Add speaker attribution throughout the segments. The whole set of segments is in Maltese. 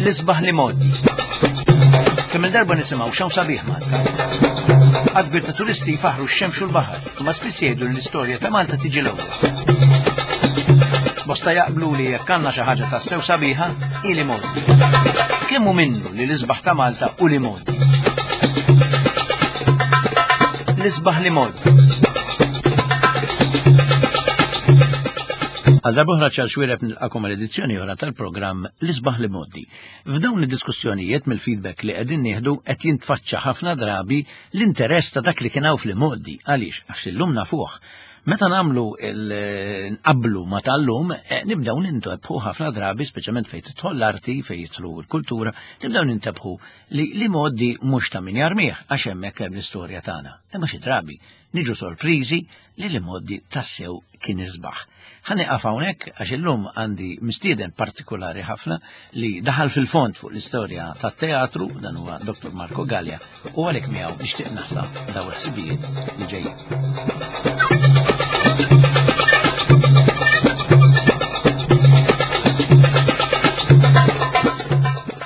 Speaker 1: L-isbaħ li modi. Kemm il-darba nisimgħu x'hawn sabiħ Malta. Għad ta' turisti jfaħru x-xemx u l-baħar, imma spiss jgħidu li l-istorja ta' Malta tiġi l-ewwel. Bosta jaqblu li jekk għandna xi ħaġa tassew sabiħa, hi li modi. Kemm hu minnu li l-isbaħ ta' Malta u li modi. L-isbaħ li modi. Għal darbohra ċar xwireb nilqakom għal edizzjoni oħra tal-programm L-isbaħ li moddi. F'dawn id-diskussjonijiet mill-feedback li qegħdin nieħdu qed jintfaċċa ħafna drabi l-interess ta' dak li kien hawn fl-imgħoddi. Għaliex? Għax illum nafuh. Meta nagħmlu nqablu ma tal-lum, eh, nibdew nintebħu ħafna drabi, speċjalment fejn tidħol l-arti, fejn jidħlu l-kultura, nibdew nintebħu li li moddi mhux ta' min jarmih għax hemmhekk hemm l-istorja tagħna. Imma xi drabi niġu sorpriżi li l-imgħoddi tassew kien isbaħ. Ħa nieqaf hawnhekk għax illum għandi mistieden partikolari ħafna li daħal fil-fond fuq l-istorja tat-teatru, dan huwa Dr. Marco Gallia, u għalhekk miegħu nixtieq naħsab daw il-ħsibijiet li ġejjin.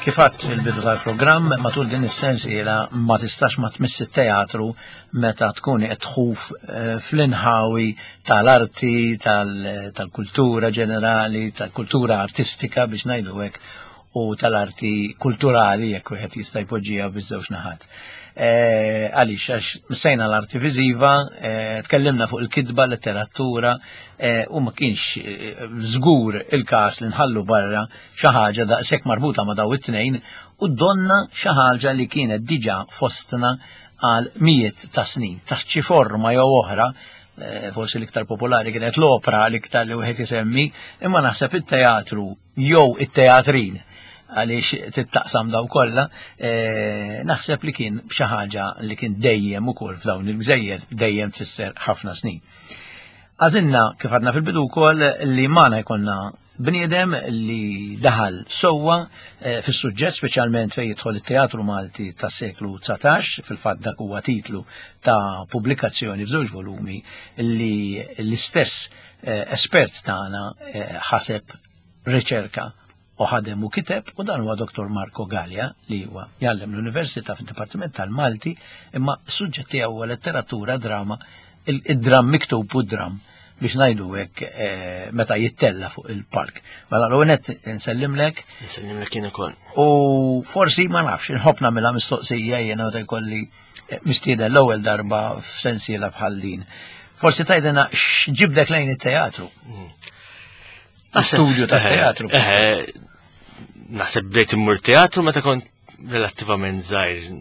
Speaker 1: Kif għadt fil-bidu tal-programm, matul din is-sensiela ma tistax ma tmiss it-teatru meta tkun qed tħuf eh, fl-inħawi tal-arti, tal-kultura ġenerali, tal-kultura artistika biex ngħidu hekk u tal-arti kulturali jekk wieħed jista' jpoġġiha biż-żewġ naħat. Eh, għaliex għax msejna l-arti viżiva, eh, tkellimna fuq il-kitba, letteratura, u ma kienx żgur il-każ li nħallu barra xi ħaġa daqshekk marbuta ma' daw it-tnejn u donna xi ħaġa li kienet diġà fostna għal mijiet ta' snin, taħt xi forma jew oħra, eh, forsi l-iktar popolari kienet l-opra l-iktar li wieħed isemmi, imma naħseb it-teatru jew it-teatrin għaliex tittaqsam daw kollha, eh, naħseb li kien xi ħaġa li kien dejjem ukoll f'dawn il-gżejjer, dejjem tfisser ħafna snin. Għażilna kif għadna fil-bidu wkoll li magħna jkollna Bniedem li daħal sewwa eh, fis-suġġett speċjalment fejn jidħol it-teatru Malti tas-seklu 19, fil-fatt dak huwa titlu ta' pubblikazzjoni f'żewġ volumi li l-istess eh, espert tagħna eh, ħaseb riċerka u ħadem u kiteb u dan huwa Dr. Marco Gallia li huwa jgħallem l-Università fid-Dipartiment tal-Malti imma s-suġġett tiegħu huwa letteratura, drama, id-dram miktub u d-dram biex ngħidu hekk eh, meta jittella fuq il-park. Mela l-għonet nsellimlek.
Speaker 2: Nsellimlek jien ukoll.
Speaker 1: U forsi ma nafx, inħobb nagħmilha mistoqsija jiena meta jkolli eh, mistieden l-ewwel darba f'sensiela bħal din. Forsi tgħidilna x'ġibdek lejn it-teatru. Mm. Studju ta' eh, teatru.
Speaker 2: Naħseb bdejt immur teatru meta kont relattivament żgħir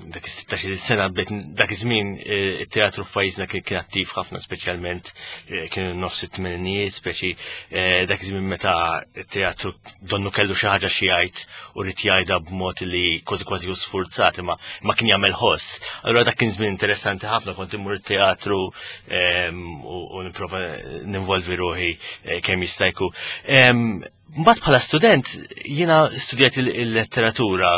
Speaker 2: dak is-16 sena bdejt dak iż-żmien eh, it-teatru f'pajjiżna kien kien attiv ħafna speċjalment eh, kienu nofs it-tmeninijiet speċi eh, dak iż-żmien meta t-teatru donnu kellu xi ħaġa xi jgħid u rid jgħidha b'mod li kważi kważi hu sfurzat imma ma kien jagħmel ħoss. Allura dak kien żmien interessanti ħafna kont immur it-teatru ehm, u nipprova ninvolvi ruħi kemm jista' jkun. Ehm, Mbagħad bħala student jiena studjajt il-letteratura,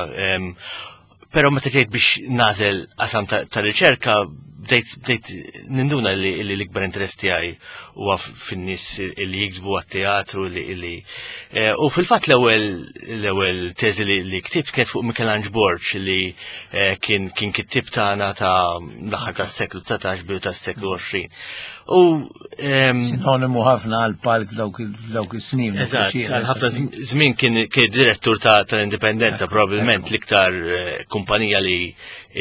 Speaker 2: però meta ġejt biex nażel qasam ta' riċerka bdejt ninduna li l-ikbar interess tiegħi huwa fin-nies li jiktbu għat-teatru li eh, u fil-fatt l-ewwel l-ewwel teżi li ktibt kienet fuq Michelangelo Borg li eh, kien kien kittib tagħna ta' l-aħħar tas-seklu 19 bidu tas-seklu 20.
Speaker 1: U sinonimu ħafna għal palk dawk is-snin.
Speaker 2: Eżatt, għal ħafna żmien kien direttur tal-Indipendenza probabbilment l-iktar eh, kumpanija li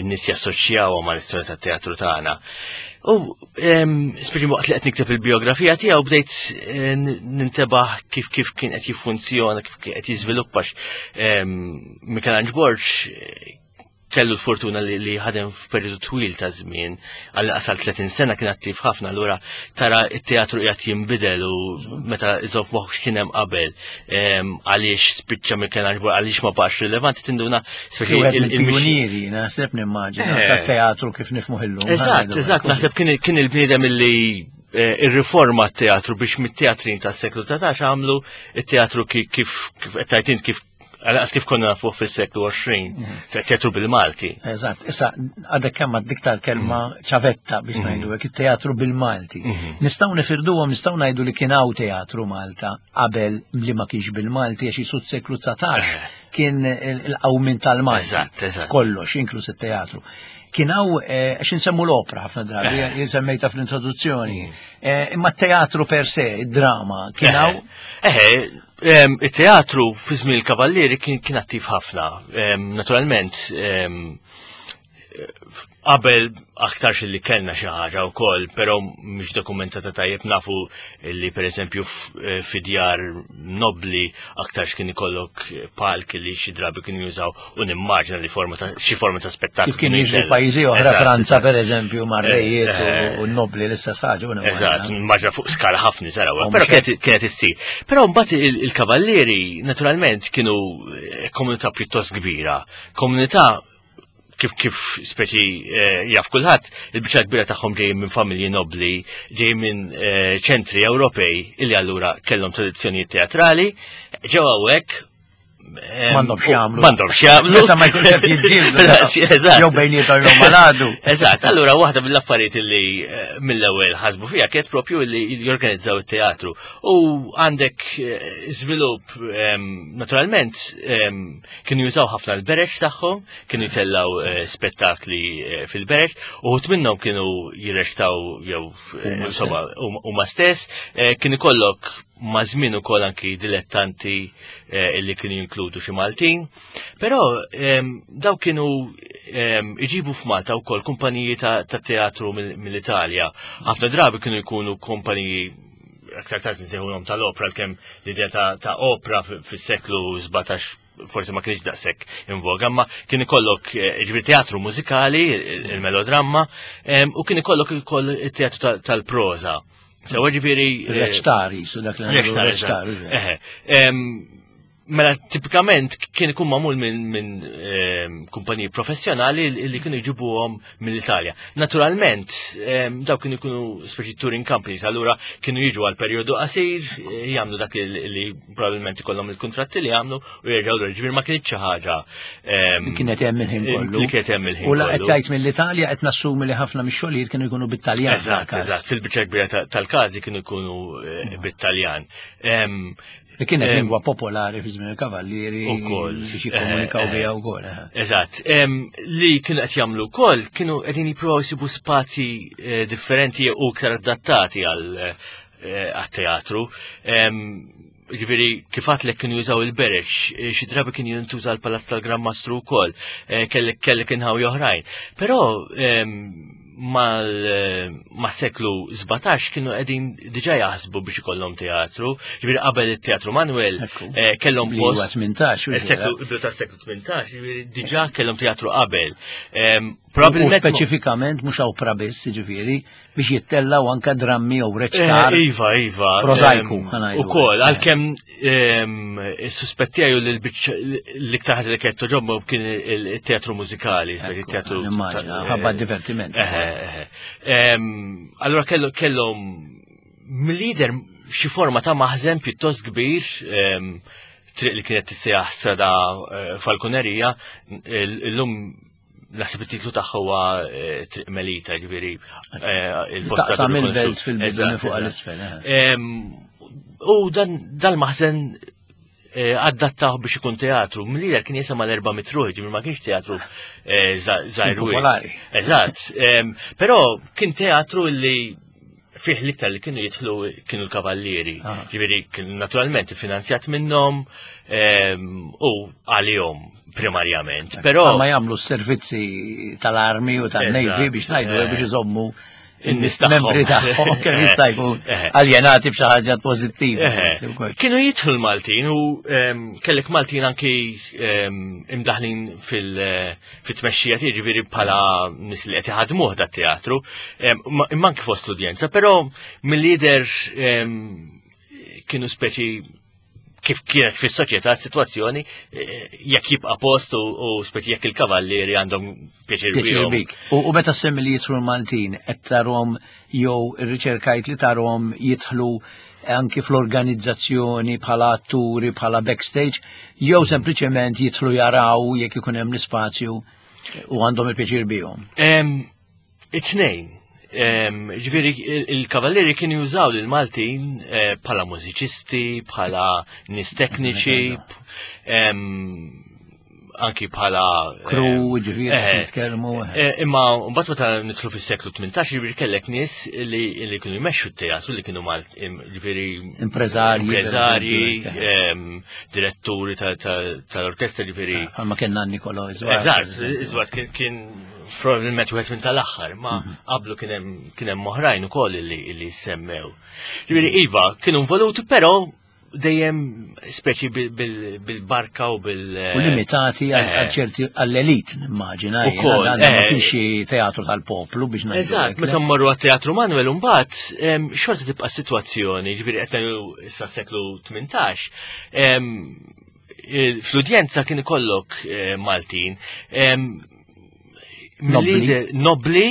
Speaker 2: n-nies jassoċjaw ma' l-istorja tat-teatru tagħna. U speċi waqt li qed nikteb il-biografija tiegħu bdejt eh, nintebaħ kif kif kien qed jiffunzjona, kif qed jiżviluppax. Michelangelo Borg eh, kellu l-fortuna li, li ħadem f'perjodu twil ta' żmien, għal qasal 30 sena kien attiv ħafna, allura tara t-teatru qiegħed jinbidel u meta iżof moħħ x'kien hemm qabel, għaliex spiċċa Michelangelo għaliex ma baqax rilevanti tinduna
Speaker 1: il-pionieri, naħseb nimmaġina eh. tat-teatru kif nifhmu illum.
Speaker 2: Eżatt, eżatt, naħseb kien il-bniedem illi eh, irriforma t-teatru biex mit-teatrin tas-seklu 19 għamlu it-teatru kif kif qed kif Għalqas kif konna nafuh fis-seklu 20, teatru bil-Malti.
Speaker 1: Eżatt, issa għadek kemm għad kelma mhm. ċavetta biex mhm. ngħidu hekk it-teatru bil-Malti. Mhm. Nistgħu nifirduhom, nistgħu ngħidu li kien hawn teatru Malta qabel li ma kienx bil-Malti għax jisu seklu 19 eh. kien il-qawmin tal-Malti.
Speaker 2: Eżatt, eżatt.
Speaker 1: Kollox, inkluż it-teatru. Kien hawn eh, għax insemmu l-opra ħafna drabi, eh. jien semmejta fl-introduzzjoni. Imma t-teatru per se, id-drama, kien hawn.
Speaker 2: Eh, Il-teatru fi żmien il-Kavallieri kien attiv ħafna. Naturalment, qabel aktarx li kellna xi ħaġa wkoll, però mhix dokumentata tajjeb nafu li pereżempju eh, fi djar nobli aktarx kien ikollok palk li xi drabi kienu jużaw u nimmaġina li forma ta' xi forma ta' spettaklu.
Speaker 1: Kif kien jiġri f'pajjiżi oħra Franza pereżempju mar-rejiet eh, eh. u n-nobli l-istess ħaġa.
Speaker 2: Eżatt, nimmaġina fuq skala ħafna saraw, però kienet issir. Però mbagħad il-kavallieri naturalment kienu eh, komunità pjuttost kbira, komunità kif kif speċi jaf kulħadd, il-biċċa kbira tagħhom ġejjin minn familji nobli, ġejjin minn ċentri Ewropej illi allura kellhom tradizzjonijiet teatrali, ġew hawnhekk
Speaker 1: M'għandhom x'jagħmlu.
Speaker 2: M'għandhom x'jagħmlu.
Speaker 1: Meta ma jkunx qed jiġġieldu.
Speaker 2: Eżatt.
Speaker 1: Jew bejniethom jew maladu.
Speaker 2: Eżatt. Allura waħda mill-affarijiet li eh, mill-ewwel ħasbu fiha kienet propju li jorganizzaw it-teatru. U għandek eh, żvilupp ehm, naturalment ehm, kienu jużaw ħafna l-bereġ tagħhom, kienu jtellaw eh, spettakli fil-bereġ, uħut minnhom kienu jirrextaw jew insomma huma stess, kien ikollok ma' żmien ukoll anki dilettanti eh, illi kienu jinkludu xi Maltin. Però ehm, daw kienu ehm, iġibu f'Malta wkoll kumpaniji ta' teatru mill-Italja. Ħafna drabi kienu jkunu kumpaniji aktar tard nsejħulhom tal-opra kemm l-idea ta' opra fis-seklu 17 forsi ma kienx daqshekk in voga, imma kien ikollok eh, ġifieri teatru mużikali, il-melodramma, ehm, u kien ikollok ukoll it-teatru tal-proża. Sewa ġifieri.
Speaker 1: Eh, Reċtari, su dak li
Speaker 2: reċtari. Mela tipikament kien ikun magħmul minn min, ehm, kumpaniji professjonali li kienu jġibuhom mill-Italja. Naturalment, ehm, daw kienu jkunu speċi touring companies, allura kienu jiġu għal perjodu qasir, eh, jagħmlu dak li probabbilment ikollhom il-kuntratti li jagħmlu u jerġgħu lura. Ġifieri ma kienx xi ħaġa.
Speaker 1: Ehm, li kienet hemm il-ħin kollu.
Speaker 2: Li kienet hemm il-ħin
Speaker 1: U la qed tgħid mill-Italja qed nassumi li ħafna mix-xogħlijiet kienu jkunu bit-Taljan.
Speaker 2: Eżatt, eżatt, fil-biċċa kbira tal-każi kienu jkunu eh, bit-Taljan. Ehm,
Speaker 1: li kienet lingwa popolari fi żmien il-kavallieri biex jikkomunikaw eh, biha wkoll.
Speaker 2: Eh. Eżatt. Li kienu qed jagħmlu wkoll kienu qegħdin jippruvaw jsibu spazji differenti u iktar adattati għal għat-teatru. Ġifieri kif għatlek kienu jużaw il-bereġ, eh, xi drabi kien jintuża l-Palazz tal-Gran Mastru wkoll, eh, kellek kellek inħawi oħrajn. Però mal-seklu 17 kienu qegħdin diġà jaħsbu biex ikollhom teatru. Ġifieri qabel it-Teatru Manuel eh, kellhom
Speaker 1: post. 18.
Speaker 2: Seklu tas-seklu 18, ġifieri diġà kellhom teatru qabel.
Speaker 1: Probabilment speċifikament mhux opra biss, jiġifieri, biex jittellaw anka drammi jew reċtar.
Speaker 2: Eh, iva, iva.
Speaker 1: Prozajku,
Speaker 2: U kol, għalkemm is-suspettijaju li l-iktar ħaġa li kienet toġobmu kien il-teatru mużikali, il-teatru.
Speaker 1: Immaġina, ħabba divertiment.
Speaker 2: Eh, eh, allura kellhom mill-lider xi forma ta' maħżen pjuttost kbir triq li kienet tissejjaħ strada Falconeria, illum naħseb it-titlu tagħha huwa eh, Triq Melita, ġifieri
Speaker 1: eh, il-post Taqsam il-belt fil-bidu minn fuq għal-isfel. Eh.
Speaker 2: U dan dal-maħżen adattaw biex ikun teatru. Mill-lider kien jisema l-erba' mitruħ, ġifieri ma kienx teatru żgħir.
Speaker 1: Popolari.
Speaker 2: Eżatt. Però kien teatru li fih l-iktar li kienu jidħlu kienu l-kavallieri. Ah. Ġifieri kien naturalment finanzjat minnhom u għalihom primarjament.
Speaker 1: Però ma jagħmlu s-servizzi tal-armi u tan-navy biex ngħidu eh. biex iżommu in-membri tagħhom kemm jista' jkun eh. aljenati b'xi ħaġa pożittiva.
Speaker 2: Eh. Kienu jidħlu l-Maltin u ehm, kellek Maltin anki ehm, imdaħlin fil-tmexxija tiegħi ġifieri bħala nies li qed iħadmuh dat-teatru, ehm, imma anki fost l-udjenza, però mill-lider kienu speċi kif kienet fis-soċjetà s-sitwazzjoni eh, jekk jibqa' post u speċi jekk il-kavallieri għandhom pjaċir
Speaker 1: bik. U meta semmi li jidħlu l-Maltin qed tarhom jew irriċerkajt li tarhom jidħlu anki fl-organizzazzjoni bħala atturi, bħala backstage, jew sempliċement jidħlu jaraw jekk ikun hemm l-ispazju u għandhom il-pjaċir bihom?
Speaker 2: It-tnejn. Ġifieri il-kavallieri kienu jużaw lil Maltin eh, bħala mużiċisti, bħala nies tekniċi, anki bħala
Speaker 1: Kru, ġifieri eh, nitkellmu.
Speaker 2: Eh, imma mbagħad meta nidħlu fis-seklu 18 ġifieri kellek nies li li kienu jmexxu t-teatru li kienu mal ġifieri
Speaker 1: impreżarji,
Speaker 2: impreżarji, diretturi tal-orkestra ġifieri.
Speaker 1: Bħalma kien Nikolo Iżwart.
Speaker 2: Eżatt, Iżwart kien probabilment wieħed minn tal-aħħar, ma mhm. qablu kien hemm oħrajn ukoll li semmew. Ġifieri iva, kienu involuti, però dejjem speċi bil-barka u bil-
Speaker 1: U limitati għal eh. ċerti għall-elit, nimmaġina. Ukoll, ma eh. kienx teatru tal-poplu biex ngħidu.
Speaker 2: Eżatt, meta mmorru għat-teatru Manuel mbagħad xorta tibqa' sitwazzjoni, ġifieri qed ngħidu issa seklu 18, fl-udjenza kien ikollok eh, Maltin nobli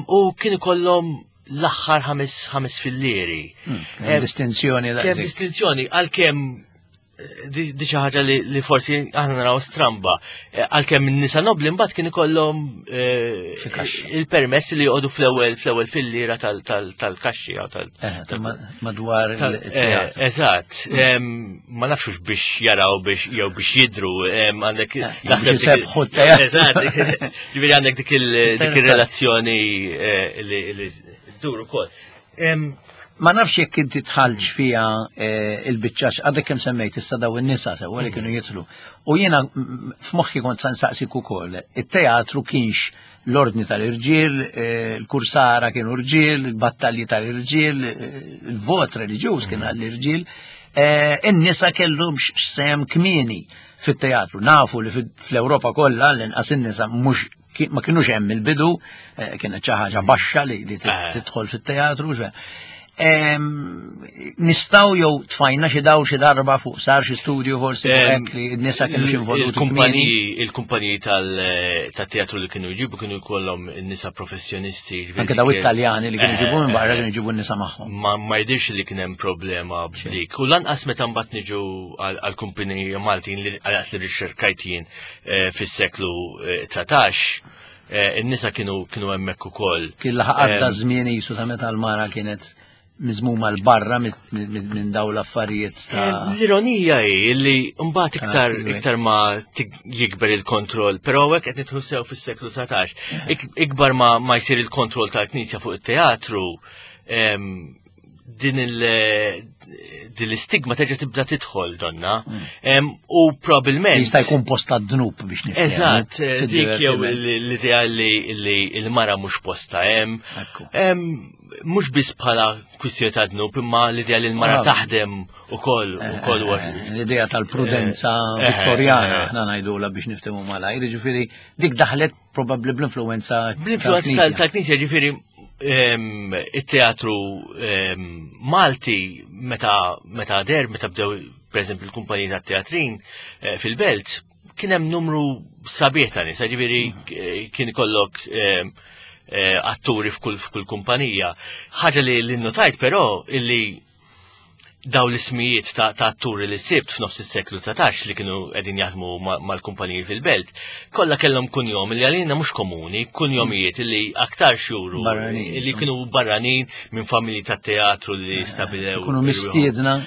Speaker 2: u kien ikollhom l-aħħar ħames fillieri.
Speaker 1: Hmm, distinzjoni
Speaker 2: Kemm distinzjoni għalkemm eh, di xi ħaġa li forsi aħna naraw stramba. Eh, għalkemm in-nisa nobli mbagħad kien ikollhom eh, il-permess li joqogħdu fl-ewwel fl-ewwel filliera tal-kaxxi jew tal
Speaker 1: madwar il-teatru.
Speaker 2: Eżatt, hmm. ma nafxux biex jaraw biex jew biex jidru għandek
Speaker 1: naħseb sebħu t-teatru.
Speaker 2: Eżatt, ġifieri għandek dik il-relazzjoni eh, li ddur ukoll.
Speaker 1: Ma nafx jekk inti tħallx fiha eh, il-biċċa għadek kemm semmejt issa daw in-nisa sewwa li mhm. kienu jitlu. U jiena f'moħħi kont nsaqsik ukoll, it-teatru kienx l-ordni tal-irġiel, eh, il-kursara kienu rġiel, il-battalji tal-irġiel, il-vot reliġjuż kien mhm. għall-irġiel. In-nisa kellhom sem kmieni fit-teatru. Nafu li fl-Ewropa kollha l-inqas in-nisa mhux ma kienux hemm il-bidu, eh, kienet xi ħaġa baxxa li eh. tidħol fit-teatru. Nistaw jew tfajna xi daw xi darba fuq sar xi studju forsi hekk li n-nisa kienu xi involuti.
Speaker 2: Il-kumpaniji tal-teatru li kienu jġibu kienu jkollhom nisa professjonisti.
Speaker 1: Anke daw it-Taljani li kienu jġibu minn barra kienu jġibu n-nisa magħhom.
Speaker 2: Ma jidhirx li kien hemm problema b'dik. U lanqas meta mbagħad niġu għall-kumpaniji Maltin li għalqas li riċerkajt jien eh, fis-seklu 19 eh, eh, in-nisa kienu kienu hemmhekk ukoll.
Speaker 1: Kien laħaq għadda żmien jisu ta' meta l-mara kienet miżmuma l-barra minn daw l-affarijiet ta'
Speaker 2: L-ironija hi li mbagħad iktar iktar ma jikber il-kontroll, però hekk qed nidħlu sew fis-seklu 19. Ikbar ma ma jsir il-kontroll tal-Knisja fuq it-teatru, din il din l-istigma terġa' tibda tidħol donna. Mm. U probabbilment.
Speaker 1: Jista' jkun posta dnub biex nifhem.
Speaker 2: Eżatt, eh, dik jew l-idea li l-mara mhux posta hemm. Mhux biss bħala kwistjoni ta' dnub, imma l-idea li l-mara ah. taħdem ukoll eh, ukoll
Speaker 1: eh, L-idea tal-prudenza viktorjana aħna ngħidula biex niftehmu malajr, jiġifieri dik daħlet probabbli bl-influenza.
Speaker 2: Bl-influenza tal-Knisja ġifieri it-teatru Malti meta meta der meta bdew pereżempju l-kumpaniji tat-teatrin eh, fil-belt kien hemm numru sabiħ ta' nisa, ġifieri eh, kien ikollok eh, atturi f'kull f'kull kumpanija. Ħaġa li l-notajt però illi daw l-ismijiet ta', ta atturi li sibt f'nofs is-seklu 19 li kienu qegħdin jaħdmu mal-kumpaniji fil-belt, kollha kellhom kunjom li għalina mhux komuni, kunjomijiet li aktar xuru li kienu barranin minn familji ta' teatru li eh, stabilew.
Speaker 1: Kienu mistiedna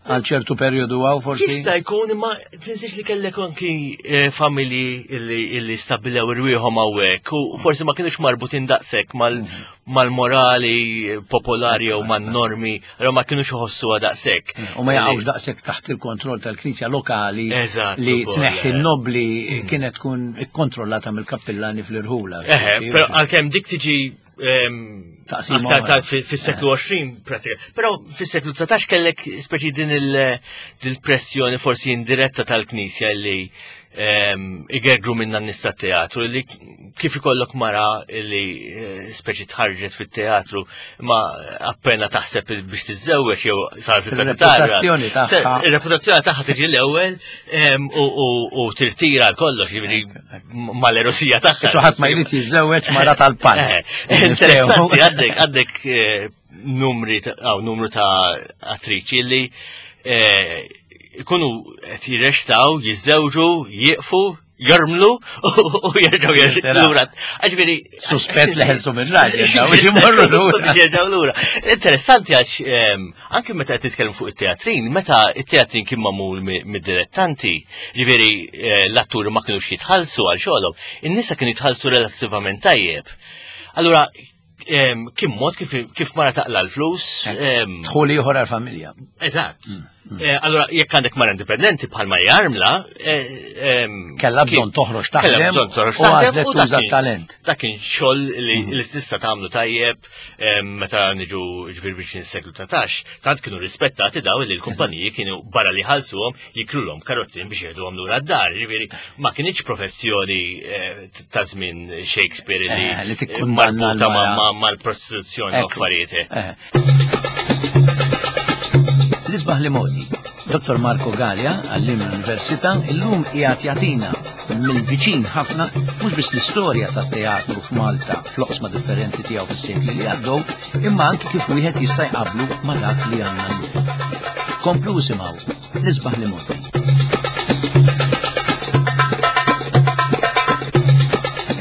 Speaker 1: għal ċertu perjodu għaw forsi?
Speaker 2: Jista' jkun imma tinsiex li kellek anki eh, familji li stabilew irwieħhom hawnhekk u forsi ma kienux marbutin daqshekk mal mal-morali popolari jew man-normi, jew ma kienux iħossuha daqshekk.
Speaker 1: U ma jaqgħux daqshekk taħt il-kontroll tal-Knisja lokali li tneħħi n-nobli mm. kienet tkun ikkontrollata mill-kappillani fl-irħula.
Speaker 2: Però għalkemm dik tiġi fis-seklu 20 pratika. Però fis-seklu 19 kellek speċi din il-pressjoni forsi indiretta tal-Knisja li igergru minna n-nies tat-teatru li kif ikollok mara li eh, speċi tħarġet fit-teatru ma appena taħseb biex tiżżewweġ jew sar
Speaker 1: Ir-reputazzjoni tagħha.
Speaker 2: Ir-reputazzjoni tagħha tiġi l-ewwel u tirtira l kollox jiġifieri mal-erosija tagħha.
Speaker 1: Xi ħadd ma jrid jiżżewweġ mara tal-palk.
Speaker 2: Eh, interessanti għandek għandek eh, numri numru ta' attriċi li eh, ikunu qed jirrextaw, jiżżewġu, jieqfu, jormlu u jerġgħu jerġgħu lura.
Speaker 1: Ġifieri suspett li ħelsu minn raġel, jmorru lura.
Speaker 2: Jerġgħu lura. Interessanti għax ehm, anke meta qed titkellem fuq it-teatrin, meta it-teatrin kien magħmul mid-dilettanti, ġifieri eh, l-atturi ma kinux jitħallsu għal xogħolhom, in-nisa kienu jitħallsu relattivament tajjeb. Allura, kien mod kif mara taqla l-flus.
Speaker 1: Eh, dħul ieħor għall-familja.
Speaker 2: Eżatt. Mm, mm. Eh, allura jekk għandek mara indipendenti bħal jarmla.
Speaker 1: Eh, kellha bżonn toħroġ taħdem. Kellha bżonn toħroġ taħdem. U għażlet tuża talent.
Speaker 2: Dak kien xogħol li mm. tista' tagħmlu tajjeb meta niġu ġbir biex seklu 19. Tant kienu rispettati daw li l-kumpaniji kienu barra li ħalsuhom jikrulhom karozzin biex jieħduhom lura d-dar. Ġifieri ma kienx professjoni ta' żmien Shakespeare li
Speaker 1: eh, li tikkundanna
Speaker 2: marbuta mal-prostituzzjoni u affarijiet.
Speaker 1: Eh. L-isbaħ li modi, Dr. Marco Gallia, għallim l-Università, illum qiegħed jagħtina mill-viċin ħafna mhux biss l-istorja tat-teatru f'Malta fl-oqsma differenti tiegħu fis-sekli li għaddew, imma anki kif wieħed jista' jqablu ma' dak li għandna llum. Komplu isimgħu L-isbaħ li modi.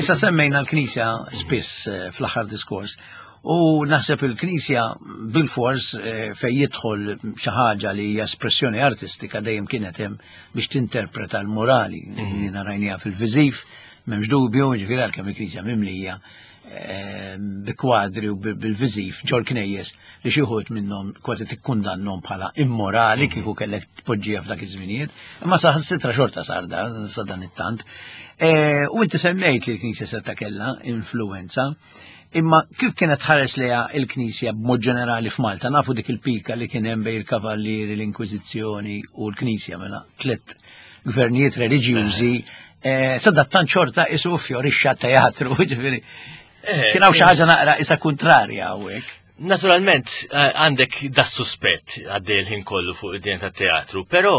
Speaker 1: Issa semmejna l-Knisja spiss eh, fl-aħħar diskors u naħseb il-Knisja bil-fors eh, fej jidħol xi ħaġa li hija espressjoni artistika dejjem kienet hemm biex tinterpreta l-morali. Mm. Jiena rajnija fil-viżiv, m'hemmx dubju, ġifieri għalkemm il-Knisja mimlija eh, bi kwadri u bil-viżiv ġol knejjes li xi wħud minnhom kważi tikkundannhom bħala immorali mhm. kieku kellek tpoġġiha f'dak iż-żminijiet, imma saħansitra xorta sar da sa dan it-tant. E, u inti semmejt li l-Knisja seta kellha influenza, imma kif kienet ħares leha il-Knisja b'mod ġenerali f'Malta, nafu dik il-pika li kien hemm bejn il-Kavallieri, l-Inkwiżizzjoni u l-Knisja mela tliet gvernijiet reliġjużi, e, sadattant xorta isu fjorixxa teatru, ġifieri. Eh, Kien hawn xi ħaġa naqra isa kontrarja hawnhekk.
Speaker 2: Naturalment eh, għandek da suspett għaddej il-ħin kollu fuq id-dinja tat-teatru, però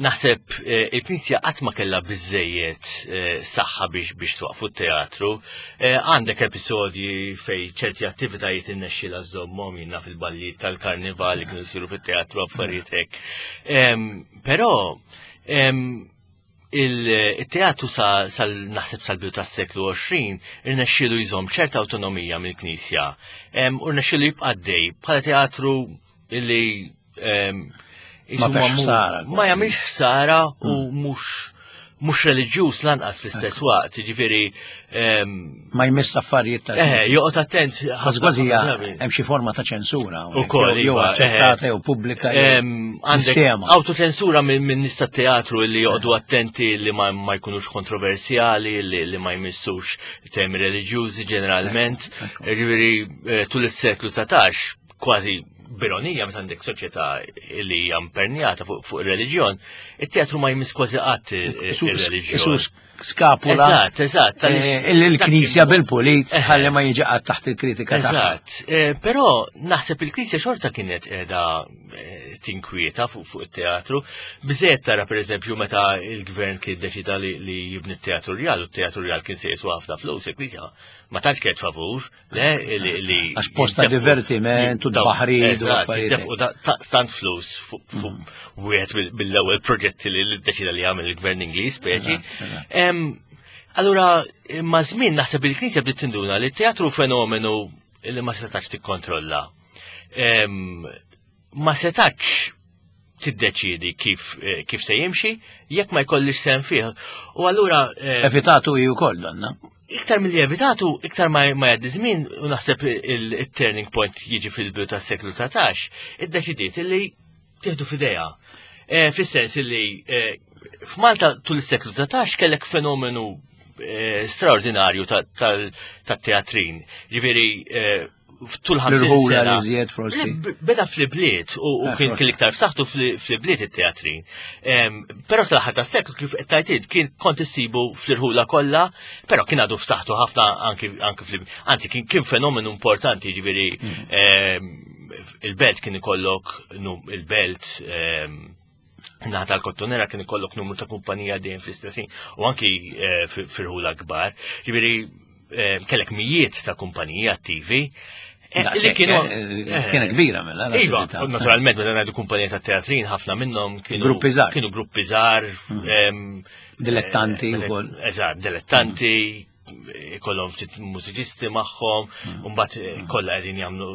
Speaker 2: naħseb eh, il-Knisja qatt ma kellha biżejjed saħħa biex biex twaqfu t-teatru. Għandek episodji fej ċerti attivitajiet innexxilha żommhom jinnna fil-ballijiet tal-karnival li kienu jsiru fit-teatru affarijiet hekk. Però Il-teatru sal naħseb sal-bidu tas-seklu 20 irnexxielu jżomm ċerta awtonomija mill-Knisja u rnexxielu jibqa' għaddej bħala teatru li
Speaker 1: ma ħsara.
Speaker 2: Ma jagħmilx ħsara u hmm. mhux mhux reliġjuż lanqas fl-istess waqt, jiġifieri
Speaker 1: ma jmiss affarijiet
Speaker 2: tal Eh, joqgħod attent.
Speaker 1: Kważi kważi hemm xi forma ta' ċensura.
Speaker 2: Ukoll
Speaker 1: jew iva, aċċettata jew pubblika.
Speaker 2: Għandek autoċensura minn nies tat-teatru li joqogħdu attenti li ma jkunux kontroversjali, li ma jmissux temi reliġjużi ġeneralment. Jiġifieri eh, tul is-seklu 19 kważi b'ironija meta għandek soċjetà li hija impernjata fuq ir-reliġjon, it-teatru ma jmiss kważi qatt ir-reliġjon.
Speaker 1: Skapula.
Speaker 2: Eżatt, eżatt.
Speaker 1: Eh, il-Knisja bil-pulit eh. ħalli ma jiġi qatt taħt il-kritika
Speaker 2: tagħha. Eżatt. Eh, però naħseb il-Knisja xorta kienet qiegħda tinkwieta fuq it-teatru. Biżejjed tara pereżempju meta il-gvern kien deċida li jibni t-teatru rjal u t-teatru rjal kien se jiswa ħafna flus, il-Knisja ma tantx kienet favur. Le, li.
Speaker 1: Għax posta divertiment u baħri u
Speaker 2: affarijiet. U stant flus fuq mm. wieħed mill-ewwel proġetti li deċida li jagħmel il-gvern Ingliż speċi. Allura, ma' żmien naħseb il-Knisja bdiet tinduna li t-teatru fenomenu li ma setax tikkontrolla. Ma setax tiddeċiedi kif, eh, kif se jimxi, jekk ma jkollix sem fih. U allura.
Speaker 1: Eh, Evitatu hi wkoll donna.
Speaker 2: Iktar mill evitatu, iktar ma jgħaddi żmien, u naħseb il-turning point jiġi fil-bidu tas-seklu 19, iddeċidiet li tieħdu f'idejha. Eh, fis-sens li f'Malta tul is-seklu 19 kellek fenomenu straordinarju tat-teatrin. Ġifieri tul
Speaker 1: 50 sena. L-iżjed forsi.
Speaker 2: Beda fl-ibliet u eh, kien kien iktar b'saħħtu fl-ibliet it-teatri. Però sal-aħħar tas-seklu kif qed tajtid kien kont issibu fl-irħula kollha, però kien għadu f'saħħtu ħafna anki fl Anzi kien fenomenu importanti ġifieri mm. il-belt kien ikollok il-belt naħa tal-kottonera kien ikollok numru ta' kumpanija dejjem fl-istessin u anki eh, fil-ħula kbar. Ġifieri eh, kellek mijiet ta' kumpaniji attivi. Li kienu
Speaker 1: kienet kbira mela.
Speaker 2: Iva, naturalment meta ngħidu kumpanija ta' teatrin ħafna minnhom kienu
Speaker 1: gruppi żgħar.
Speaker 2: Kienu gruppi żgħar.
Speaker 1: Dilettanti wkoll.
Speaker 2: Eżatt, dilettanti, ikollhom ftit mużiċisti magħhom, u mbagħad kollha qegħdin jagħmlu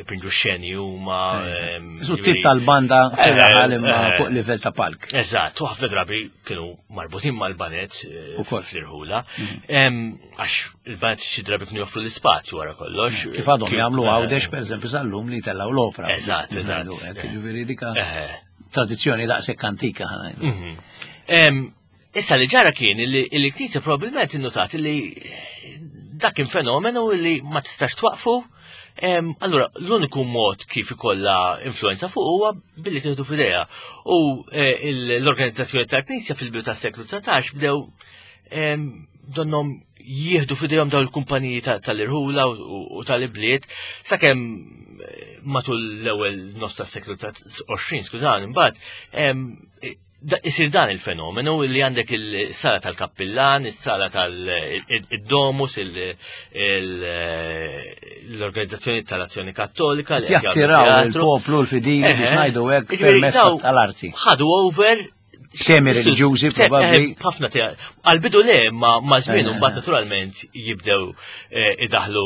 Speaker 2: jpinġu xeni huma.
Speaker 1: Isu tip tal-banda fir-raħal imma fuq livell ta' palk.
Speaker 2: Eżatt, u ħafna drabi kienu marbutin mal-banet ukoll fl-irħula. Għax il-banet xi drabi kienu joffru l-ispazju wara kollox.
Speaker 1: Kif għadhom jagħmlu Għawdex pereżempju sal-lum li tellgħu l-opra.
Speaker 2: Eżatt, eżatt.
Speaker 1: Ġifieri dika tradizzjoni daqshekk antika ħa
Speaker 2: ngħidu. Issa li ġara kien li l-Knisja probabbilment innotat li dak kien fenomenu li ma tistax twaqfu. Allura, l-uniku mod kif ikollha influenza fuq huwa billi tieħdu f'idejha. U l-organizzazzjoni tal-Knisja fil-bidu tas-seklu 19 bdew donnom jieħdu f'idejhom dawn il-kumpaniji tal-irħula u tal-ibliet sakemm matul l-ewwel nofs tas-seklu 20, skużani, imbagħad isir dan il-fenomenu li għandek il-sala tal-kappillan, il-sala tal-domus, l-organizzazzjoni tal-Azzjoni Kattolika.
Speaker 1: Jattiraw il-poplu l-fidili biex ngħidu hekk permezz tal-arti.
Speaker 2: Ħadu over
Speaker 1: Temi reliġjużi probabbli.
Speaker 2: Ħafna għal-bidu le ma żmien mbagħad naturalment jibdew idaħlu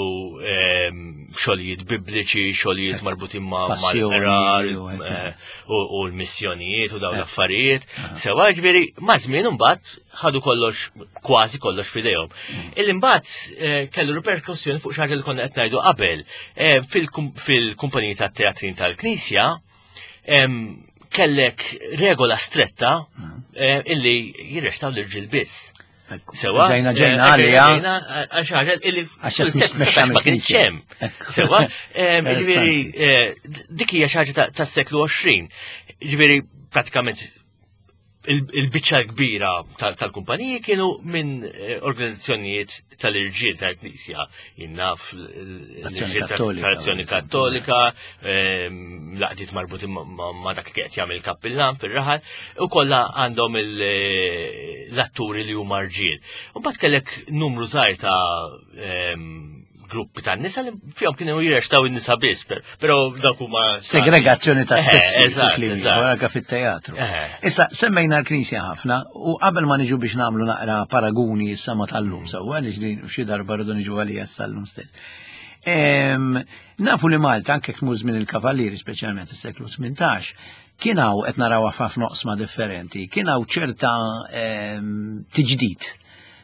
Speaker 2: xogħlijiet bibliċi, xogħlijiet marbutin ma' mal-qrar u l-missjonijiet u dawn l-affarijiet. Sewa ġifieri ma' żmien imbagħad ħadu kollox kważi kollox f'idejhom. Illi mbagħad kellu riperkussjoni fuq xi ħaġa li konna qed ngħidu qabel. Fil-kumpaniji tat-teatrin tal-Knisja kellek regola stretta illi jirrextaw l-irġiel biss.
Speaker 1: Sewa. Ġejna ġejna għalija.
Speaker 2: Għax ħaġa illi ma kienx hemm. Sewa, ġifieri dik hija xi ħaġa tas-seklu 20. Ġifieri pratikament il-biċċa kbira tal-kumpaniji kienu minn organizzazzjonijiet tal-irġiel tal-Knisja, jinnaf l-Azzjoni Kattolika, l-għaqdiet marbutin ma' dak li qed jagħmel il-kappillan fir-raħal, u kollha għandhom l-atturi li huma rġiel. U mbagħad kellek numru żgħir ta' gruppi ta' nisa li fihom kienu jirrextaw in-nisa biss, però dawk huma
Speaker 1: segregazzjoni ta' sessi anke fit-teatru. Issa semmejna l-Knisja ħafna u qabel ma niġu biex nagħmlu naqra paraguni issa ma tal-lum sewwa għaliex din xi darba rridu niġu għalija sal-lum stess. Nafu li Malta anke tmur żmien il-Kavallieri speċjalment is-seklu 18 kien hawn qed narawha f'ħafna oqsma differenti, kien hawn ċerta tiġdid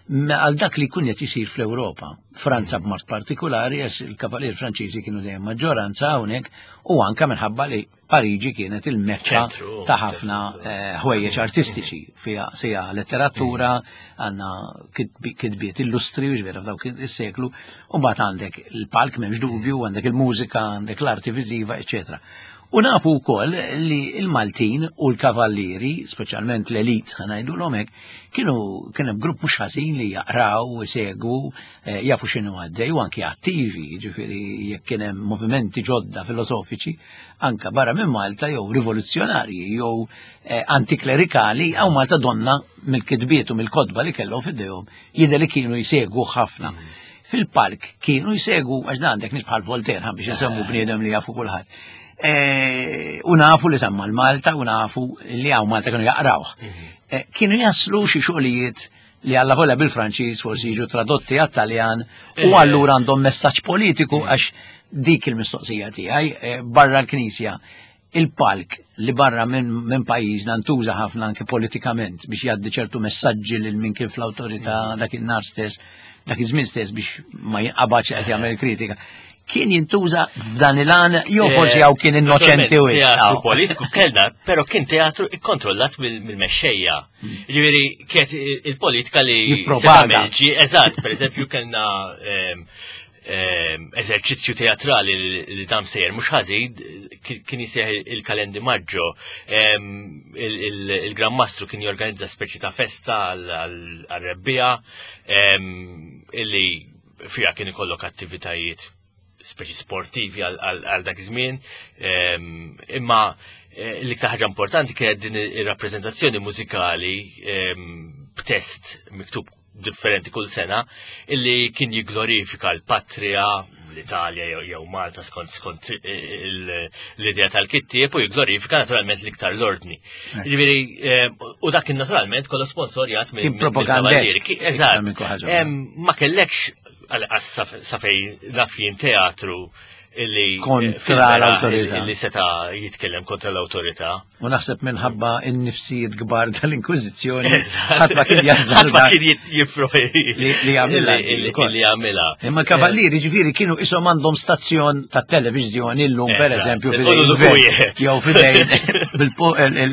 Speaker 1: għal dak li kun qed isir fl-Ewropa. Franza b'mod partikolari għax il-kavalier Franċiżi kienu dejjem maġġoranza hawnhekk u anka minħabba li Pariġi kienet il-mekka ta' ħafna ħwejjeġ artistiċi fiha sija letteratura, għandna kitbiet illustri u ġvera f'dawk is-seklu, u mbagħad għandek il-palk m'hemmx dubju, għandek il-mużika, għandek l-arti viżiva, eċetera. U nafu wkoll li l-Maltin u l-kavallieri, speċjalment l-elit ħa ngħidulhom hekk, kienu kien hemm grupp mhux ħażin li jaqraw, isegwu, jafu x'inhu għaddej u anki attivi, jiġifieri jekk kien hemm movimenti ġodda filosofiċi anka barra minn Malta jew rivoluzzjonarji jew antiklerikali hawn Malta donna mill-kitbiet u mill-kotba li kellhom f'idejhom jidher li kienu jsegwu ħafna. Fil-park kienu jsegwu għax dan għandek nies bħal Voltaire ħa biex insemmu bniedem li jafu kulħadd. U nafu li semma l-Malta u nafu li hawn Malta kienu jaqrawh. Kienu jaslu xi xogħlijiet li alla volja bil-Franċiż forsi jiġu tradotti għat-Taljan u allura għandhom messaġġ politiku għax dik il-mistoqsija tiegħi barra l-Knisja. Il-palk li barra minn pajjiżna ntuża ħafna anke politikament biex jgħaddi ċertu messaġġi lil min kien fl-awtorità dak in-nhar stess, dak iż-żmien stess biex ma jinqabadx qed jagħmel kritika. Kien jintuża f'dan il-għan jew forsi hawn kien innoċenti wisq.
Speaker 2: Teatru politiku kellna, però kien teatru ikkontrollat mill-mexxejja. Ġifieri kienet il-politika li
Speaker 1: jippropaga.
Speaker 2: Eżatt, pereżempju kellna eżerċizzju teatrali li dam sejjer mhux ħażin kien jisejjaħ il-Kalendi Maggio. Il-Gran Mastru kien jorganizza speċi ta' festa għal-rebbija illi fiha kien ikollok attivitajiet speċi sportivi għal dak iż-żmien. Imma l-iktar ħaġa importanti kienet din ir-rappreżentazzjoni mużikali b'test miktub differenti kull sena illi kien jigglorifika l-patria, l-Italja jew Malta skont skont l-idea tal-kittieb u jigglorifika naturalment l-iktar l-ordni. Ġifieri eh, u dak kien naturalment kollu sponsorjat
Speaker 1: minn propagandesk.
Speaker 2: Eżatt. Ma kellekx għal sa fejn naf jien teatru illi
Speaker 1: kontra l-autorità.
Speaker 2: Illi seta jitkellem kontra l-autorità.
Speaker 1: U naħseb minħabba n-nifsijiet kbar tal-Inkwiżizzjoni. Ħadd ma kien jażżar.
Speaker 2: Ħadd ma kien jifrofi
Speaker 1: li jagħmilha.
Speaker 2: Li jagħmilha.
Speaker 1: Imma l-kavallieri ġifieri kienu ishom għandhom stazzjon ta' televiżjoni llum pereżempju
Speaker 2: jew
Speaker 1: fidejn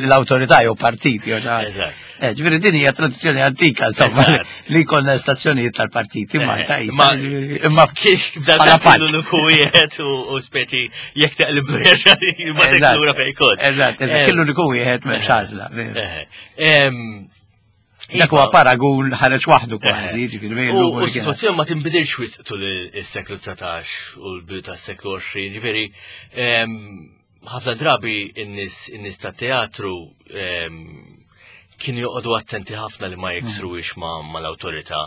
Speaker 1: l-awtorità jew partit jew Eh, ġifieri din hija tradizzjoni antika, insomma, li jkollna stazzjonijiet tal-partiti eh, Malta
Speaker 2: imma imma kif dan l-uniku wieħed u speċi jekk taqlib ma lura fejn kont.
Speaker 1: Eżatt, eżatt, kien l-uniku wieħed m'hemmx għażla. Dak huwa paragun ħareġ waħdu kważi,
Speaker 2: ġifieri U s-sitwazzjoni ma tinbidilx wisq tul is-seklu 19 u l-bidu tas-seklu 20, ġifieri ħafna drabi in-nies in-nies tat-teatru kienu joqogħdu attenti ħafna li ma jiksruwix mal-awtorità.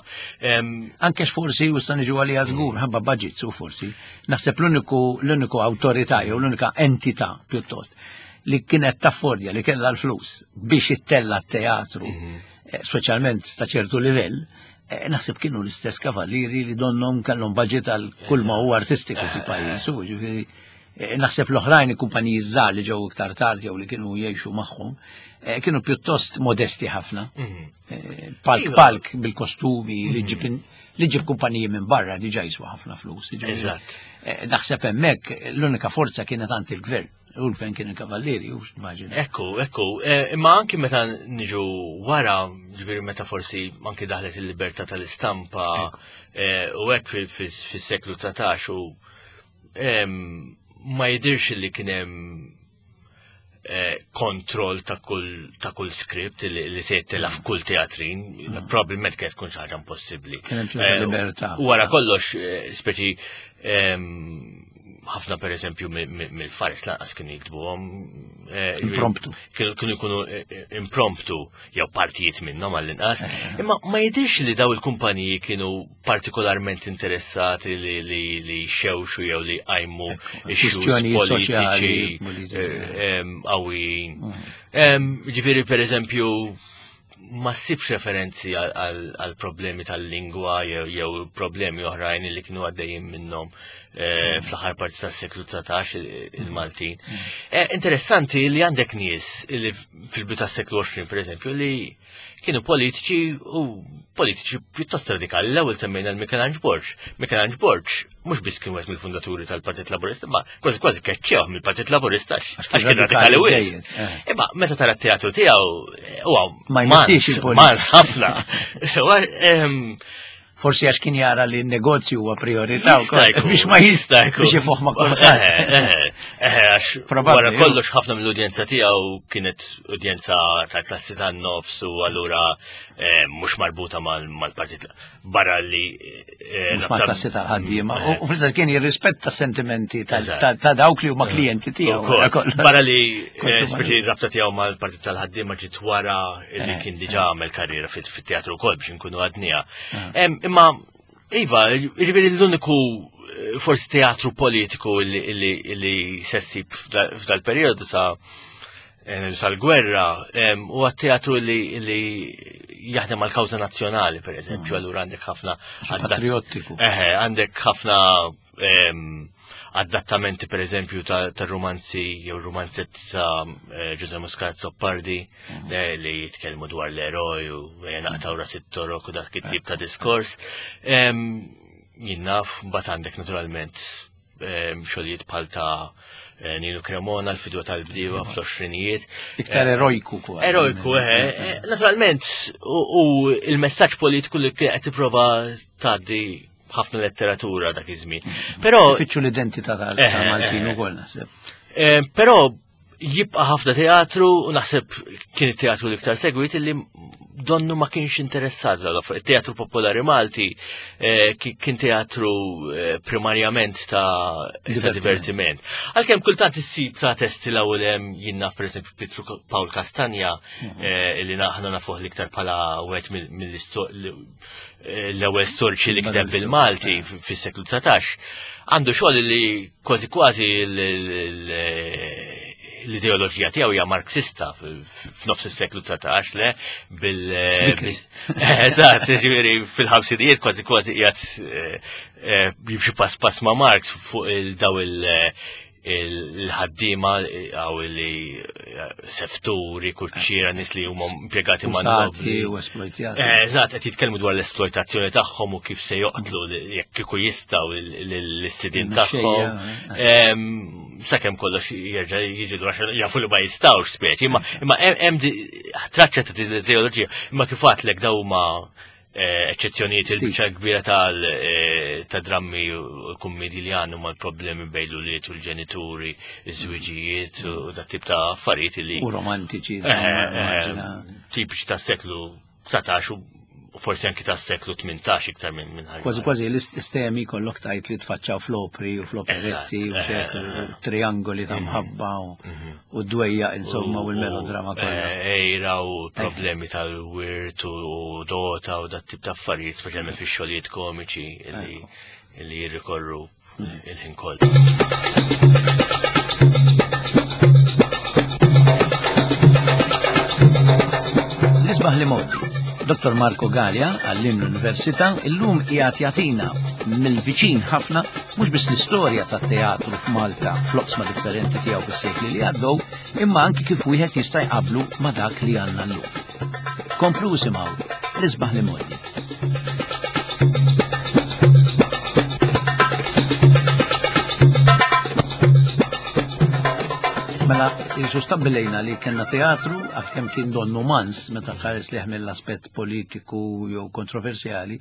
Speaker 1: Anke forsi u sta niġu għalija żgur, ħabba budgets u forsi, naħseb l-uniku l-uniku awtorità jew l-unika entità pjuttost li kienet taffordja li kellha l-flus biex ittella t-teatru, mhm. eh, speċjalment ta' ċertu livell, eh, naħseb kienu l-istess kavallieri li donnom kellhom budget għal kull ma huwa artistiku fil-pajjiż, u ġifieri Eh, naħseb l-oħrajn il-kumpaniji żgħar li ġew iktar tard jew li kienu jgħixu magħhom, eh, kienu pjuttost modesti ħafna. Mhm. Eh, palk iva. palk bil-kostumi li mhm. ġib li ġib kumpaniji minn barra diġà jiswa ħafna flus.
Speaker 2: Eżatt.
Speaker 1: Naħseb hemmhekk l-unika forza kienet għand il-gvern. U l-gvern kien il-kavallieri, u immaġina.
Speaker 2: Ekku, ekku, imma anki meta niġu wara, ġifieri meta forsi anki daħlet il-libertà tal-istampa u hekk fis-seklu 19 u ma jidirx li kien hemm eh, kontroll ta' kull ta' kull script li, li se jittela f'kull teatrin, mm. probabbilment kienet tkun xi ħaġa impossibbli.
Speaker 1: Kien hemm eh, libertà.
Speaker 2: Wara kollox, eh, speċi ħafna per eżempju mill-faris lanqas kienu jiktbuhom.
Speaker 1: Impromptu.
Speaker 2: Kienu jkunu impromptu jew partijiet minnhom għall-inqas. Imma ma jidirx li daw il-kumpaniji kienu partikolarment interessati li li li xewxu jew li qajmu issues politiċi eh, qawwijin. Mm. Ġifieri pereżempju ma ssibx referenzi għal problemi tal-lingwa jew problemi oħrajn li kienu għaddejjin minnhom eh, fl-aħħar parti tas-seklu 19 il-Maltin. Mm. Eh, interessanti li għandek nies li fil-bidu tas-seklu 20 pereżempju li kienu politiċi u politiċi pjuttost radikali. L-ewwel semmejna l-Michelangelo Borg. Michelangelo Borg mhux biss kien wieħed mill-fundaturi tal-Partit Laburista, ma kważi kważi keċċewh mill-Partit Laburista għax kien radikali wisq. Eh. Imma meta tara t-teatru tiegħu huwa
Speaker 1: ma jmissix
Speaker 2: il-politika. ħafna.
Speaker 1: Forsi għax kien jara li n-negozju huwa priorità wkoll biex ma jista' jkun. Biex ifuħ ma'
Speaker 2: kulħadd. Eh, eh, eh, għax wara kollox ħafna mill-udjenza tiegħu kienet udjenza tal-klassi tan-nofs u allura mhux marbuta mal-partit barra li.
Speaker 1: Mhux mal-klassi tal-ħaddiema. U fl kien jirrispetta sentimenti ta' dawk li huma klijenti tiegħu.
Speaker 2: Barra li speċi rabta tiegħu mal-partit tal-ħaddiema ġiet wara li kien diġà għamel karriera fit-teatru wkoll biex inkunu għadnija. Ah. Imma, Iva, jiġifieri l-uniku eh, forsi teatru politiku li sessib f'dal-periodu sa eh, sal-gwerra u teatru li jaħdem għal kawża nazzjonali, per eżempju, mm. allura għandek ħafna.
Speaker 1: Patriottiku.
Speaker 2: Eħe, għandek ħafna adattamenti per eżempju ta' romanzi jew romanzetti ta' eh, Ġuże Muscat Zoppardi mhm. eh, li jitkellmu dwar l-eroj u naqtaw ras it-torok u dak it-tip ta' diskors. Jien naf, mbagħad għandek naturalment xogħlijiet bħal ta' eh, Nino Cremona, l-fidwa tal-bdiewa mhm. fl-20ijiet.
Speaker 1: Iktar erojku
Speaker 2: kwa. Erojku, eh. Naturalment, u il-messaġġ politiku li qed tipprova tgħaddi ħafna letteratura dak iż-żmien.
Speaker 1: Però fittxu l-identità tal-Maltin ukoll naħseb.
Speaker 2: Eh, però jibqa' ħafna teatru u naħseb kien it-teatru l-iktar segwit illi donnu ma kienx interessat dal Teatru Popolari Malti eh, kien teatru eh, primarjament ta' divertiment. Għalkemm kultant issib ta' testi l-ewwel hemm jien naf pereżempju Pietru Pawl Kastanja mhm. eh, li naħna nafuh l-iktar bħala wieħed mill-ewwel storiċi li kiteb bil-Malti fis-seklu 19. Għandu xogħol li kważi kważi l-ideoloġija tiegħu hija Marxista f'nofs is-seklu 19 le bil Eżatt, ġifieri fil-ħamsinijiet kważi kważi qiegħed eh, eh, jimxi pass pass ma' Marx fuq il-daw il-ħaddiema għaw li eh, sefturi, kuċċiera, nis li huma impjegati ma'
Speaker 1: nobli. U esploitjati.
Speaker 2: Eżatt, qed jitkellmu dwar l-esploitazzjoni tagħhom u kif se joqtlu jekk kieku jistgħu l-istidin tagħhom. Sakemm kollox jerġa' jiġi lura jafu li ma jistgħux speċi, imma imma hemm traċċa ta' din l-ideoloġija, imma kif għadlek daw huma eh, eċċezzjonijiet il-biċċa kbira tal eh, ta' drammi u l-kummedji li għandhom mal-problemi bejn l-ulied u l-ġenituri, iż-żwiġijiet u dat tip ta' affarijiet li.
Speaker 1: U romantiċi. Eh,
Speaker 2: tipiċi tas-seklu 19 u forsi anki tas seklu 18 iktar minn minn
Speaker 1: ħaġa. Kważi kważi l-istemi kollok tajt li tfaċċaw fl-opri u fl-operetti u eh, eh, triangoli ta' mhm. mħabba mhm. u d-dwejja insomma u l-melodrama kollha.
Speaker 2: Eh, ejra u problemi tal-wirt u dota u dat tip ta' affarijiet, speċjalment fix-xogħlijiet komiċi li jirrikorru il-ħin koll.
Speaker 1: Nisbaħ li modi. Dr. Marco Gallia, għallim l-Università, illum qiegħed jagħtina mill-viċin ħafna mhux biss l-istorja tat-teatru f'Malta fl-oqsma differenti tiegħu fis-sekli li għaddew, imma anki kif wieħed jista' jqablu ma' dak li għandna llum. Komplu isimgħu l-isbaħ li modi. Mela, jisu stabbilejna li kena teatru, għalkemm kien donnu mans meta tħares liħ mill-aspett politiku jew kontroversjali,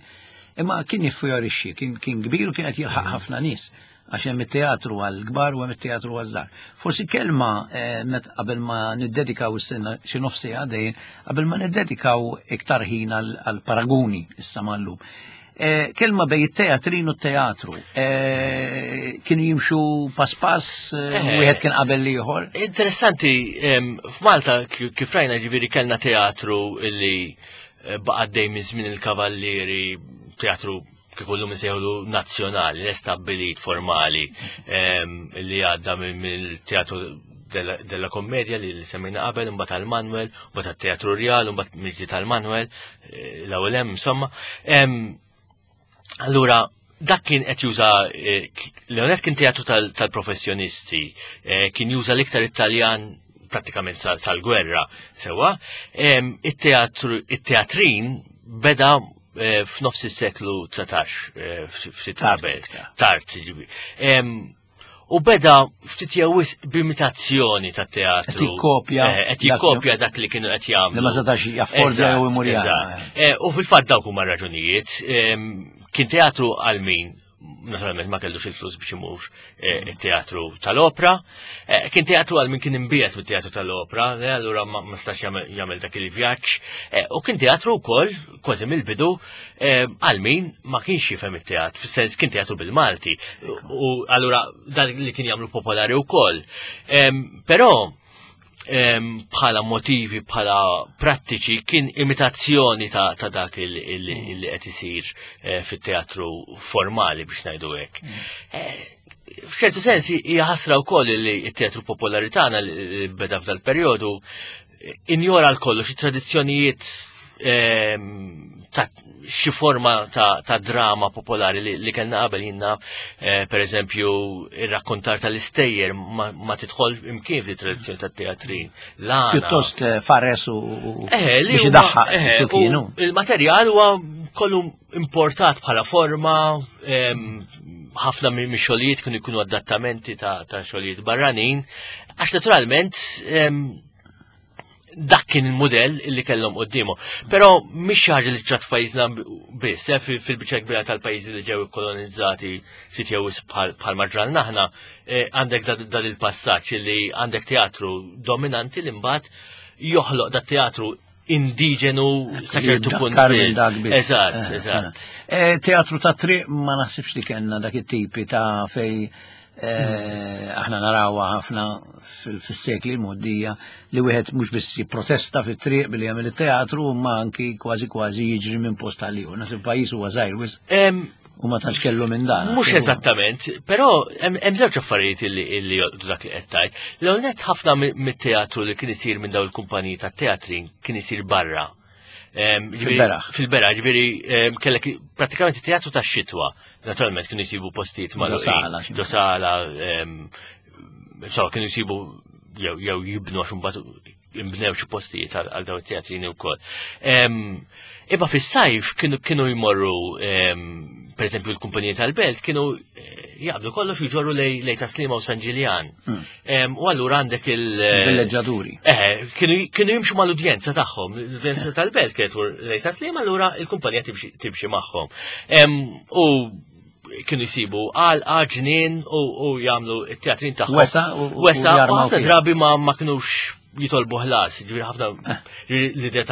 Speaker 1: imma kien jiffjorixxi, kien, kien kbir u kien qed jilħaq ħafna nies għax hemm it-teatru għall-kbar u hemm it-teatru għaż-żgħar. Forsi kelma eh, met qabel ma niddedikaw is-sena xi nofs siegħa dejjem, qabel ma niddedikaw iktar ħin għall-paraguni issa mal-lum. Eh, kelma bej it-teatrin u t-teatru. Eh, kienu jimxu pass pass, wieħed kien qabel l-ieħor.
Speaker 2: Interessanti, f'Malta kif rajna ġifieri kellna teatru li baqa' dejjem minn żmien il-kavallieri, teatru kif illum insejħulu nazzjonali, l-estabbilit formali li għadda mill-teatru della Commedia li semmejna qabel, imbagħad tal-Manuel, imbagħad tat-Teatru Rjal, imbagħad mill tal-Manuel, eh, l-ewwel hemm insomma. Allura, dak kien qed juża eh, Leonet kien teatru tal-professjonisti, eh, kien juża l-iktar Italjan prattikament sal-gwerra sewwa. It-teatrin beda eh, f'nofs is-seklu 19 eh, ftit qabel. Tard, ġibi. U beda ftit jew b'imitazzjoni ta' teatru.
Speaker 1: Qed jikkopja.
Speaker 2: Eh, qed jikkopja dak li kienu qed jagħmlu.
Speaker 1: Li ma setax jaffordja jew imur
Speaker 2: U fil-fatt dawk huma raġunijiet. Kien teatru għal min naturalment ma kellux il-flus biex imur eh, it-teatru tal-opra. Eh, kien teatru għal min kien imbiet mit-teatru tal-opra, eh, allura ma stax jagħmel dak il-vjaġġ. U kien teatru wkoll, kważi mill-bidu, għal min ma kienx jifhem it-teatru, fis-sens kien teatru bil-Malti. U allura dan li kien jagħmlu popolari wkoll. Però bħala motivi, bħala prattiċi, kien imitazzjoni ta', ta dak li qed isir eh, fit-teatru formali biex ngħidu hekk. Mm. Eh, f'ċertu sens hija ħasra wkoll li t-teatru popolari tagħna li beda f'dal perjodu injora l-kollox it-tradizzjonijiet ta' xi forma ta', ta drama popolari li, li kellna qabel jinna eh, per eżempju ir-rakkontar tal-istejjer ma, ma tidħol imkien fi tradizzjoni tat-teatrin.
Speaker 1: Pjuttost eh, fares u eh, biex idaħħaq eh, kienu.
Speaker 2: Il-materjal huwa kollu importat bħala forma, ħafna mix-xogħlijiet kienu jkunu adattamenti ta', ta xogħlijiet barranin, għax naturalment dak kien il-modell li kellhom quddiemu. Però mhix xi ħaġa li ġrat f'pajjiżna biss, eh, fil-biċċa kbira tal-pajjiżi li ġew ikkolonizzati ftit jew bħal ma ġralna aħna, eh, għandek dan il-passaġġ li għandek teatru dominanti li mbagħad joħloq dat teatru indiġenu sa ċertu punt. Eżatt, eh, eżatt.
Speaker 1: Eh, teatru ta' triq ma naħsibx li kellna dak it-tipi ta' fej eh, aħna narawha ħafna fis-sekli l-moddija li wieħed mhux biss jipprotesta fit-triq billi jagħmel it-teatru ma anki kważi kważi jiġri minn post għal ieħor. Naħseb pajjiż huwa żgħir wisq. U ma tantx kellu minn dan.
Speaker 2: Mhux eżattament, però hemm żewġ affarijiet illi jolqtu dak li qed tgħid. L-ewwel nett ħafna mit-teatru li kien isir minn dawn il-kumpaniji tat-teatrin kien isir barra.
Speaker 1: Fil-beraħ.
Speaker 2: Fil-beraħ, ġifieri kellek prattikament it-teatru tax-xitwa. Naturalment kienu jsibu postijiet ma'
Speaker 1: Ġo
Speaker 2: Ġo sala, so kienu jsibu jew jibnu għax imbagħad imbnew xi postijiet għal dawn it-teatrini wkoll. Imma fis-sajf kienu jmorru per eżempju l-kumpaniji tal-belt kienu eh, jaqbdu kollox jġorru lej Taslima u San Ġiljan. Hmm. U allura għandek il-
Speaker 1: eh, Villeġġaturi.
Speaker 2: Eh, kienu jimxu mal-udjenza tagħhom, l-udjenza tal-belt kienet lej Taslima, allura il-kumpanija timxi magħhom. U kienu jisibu għal ġnien u jagħmlu t-teatrin tagħhom.
Speaker 1: Wesa
Speaker 2: u wesa u ħafna drabi ma ma kinux jitolbu ħlas, ġifieri ħafna eh. l-idea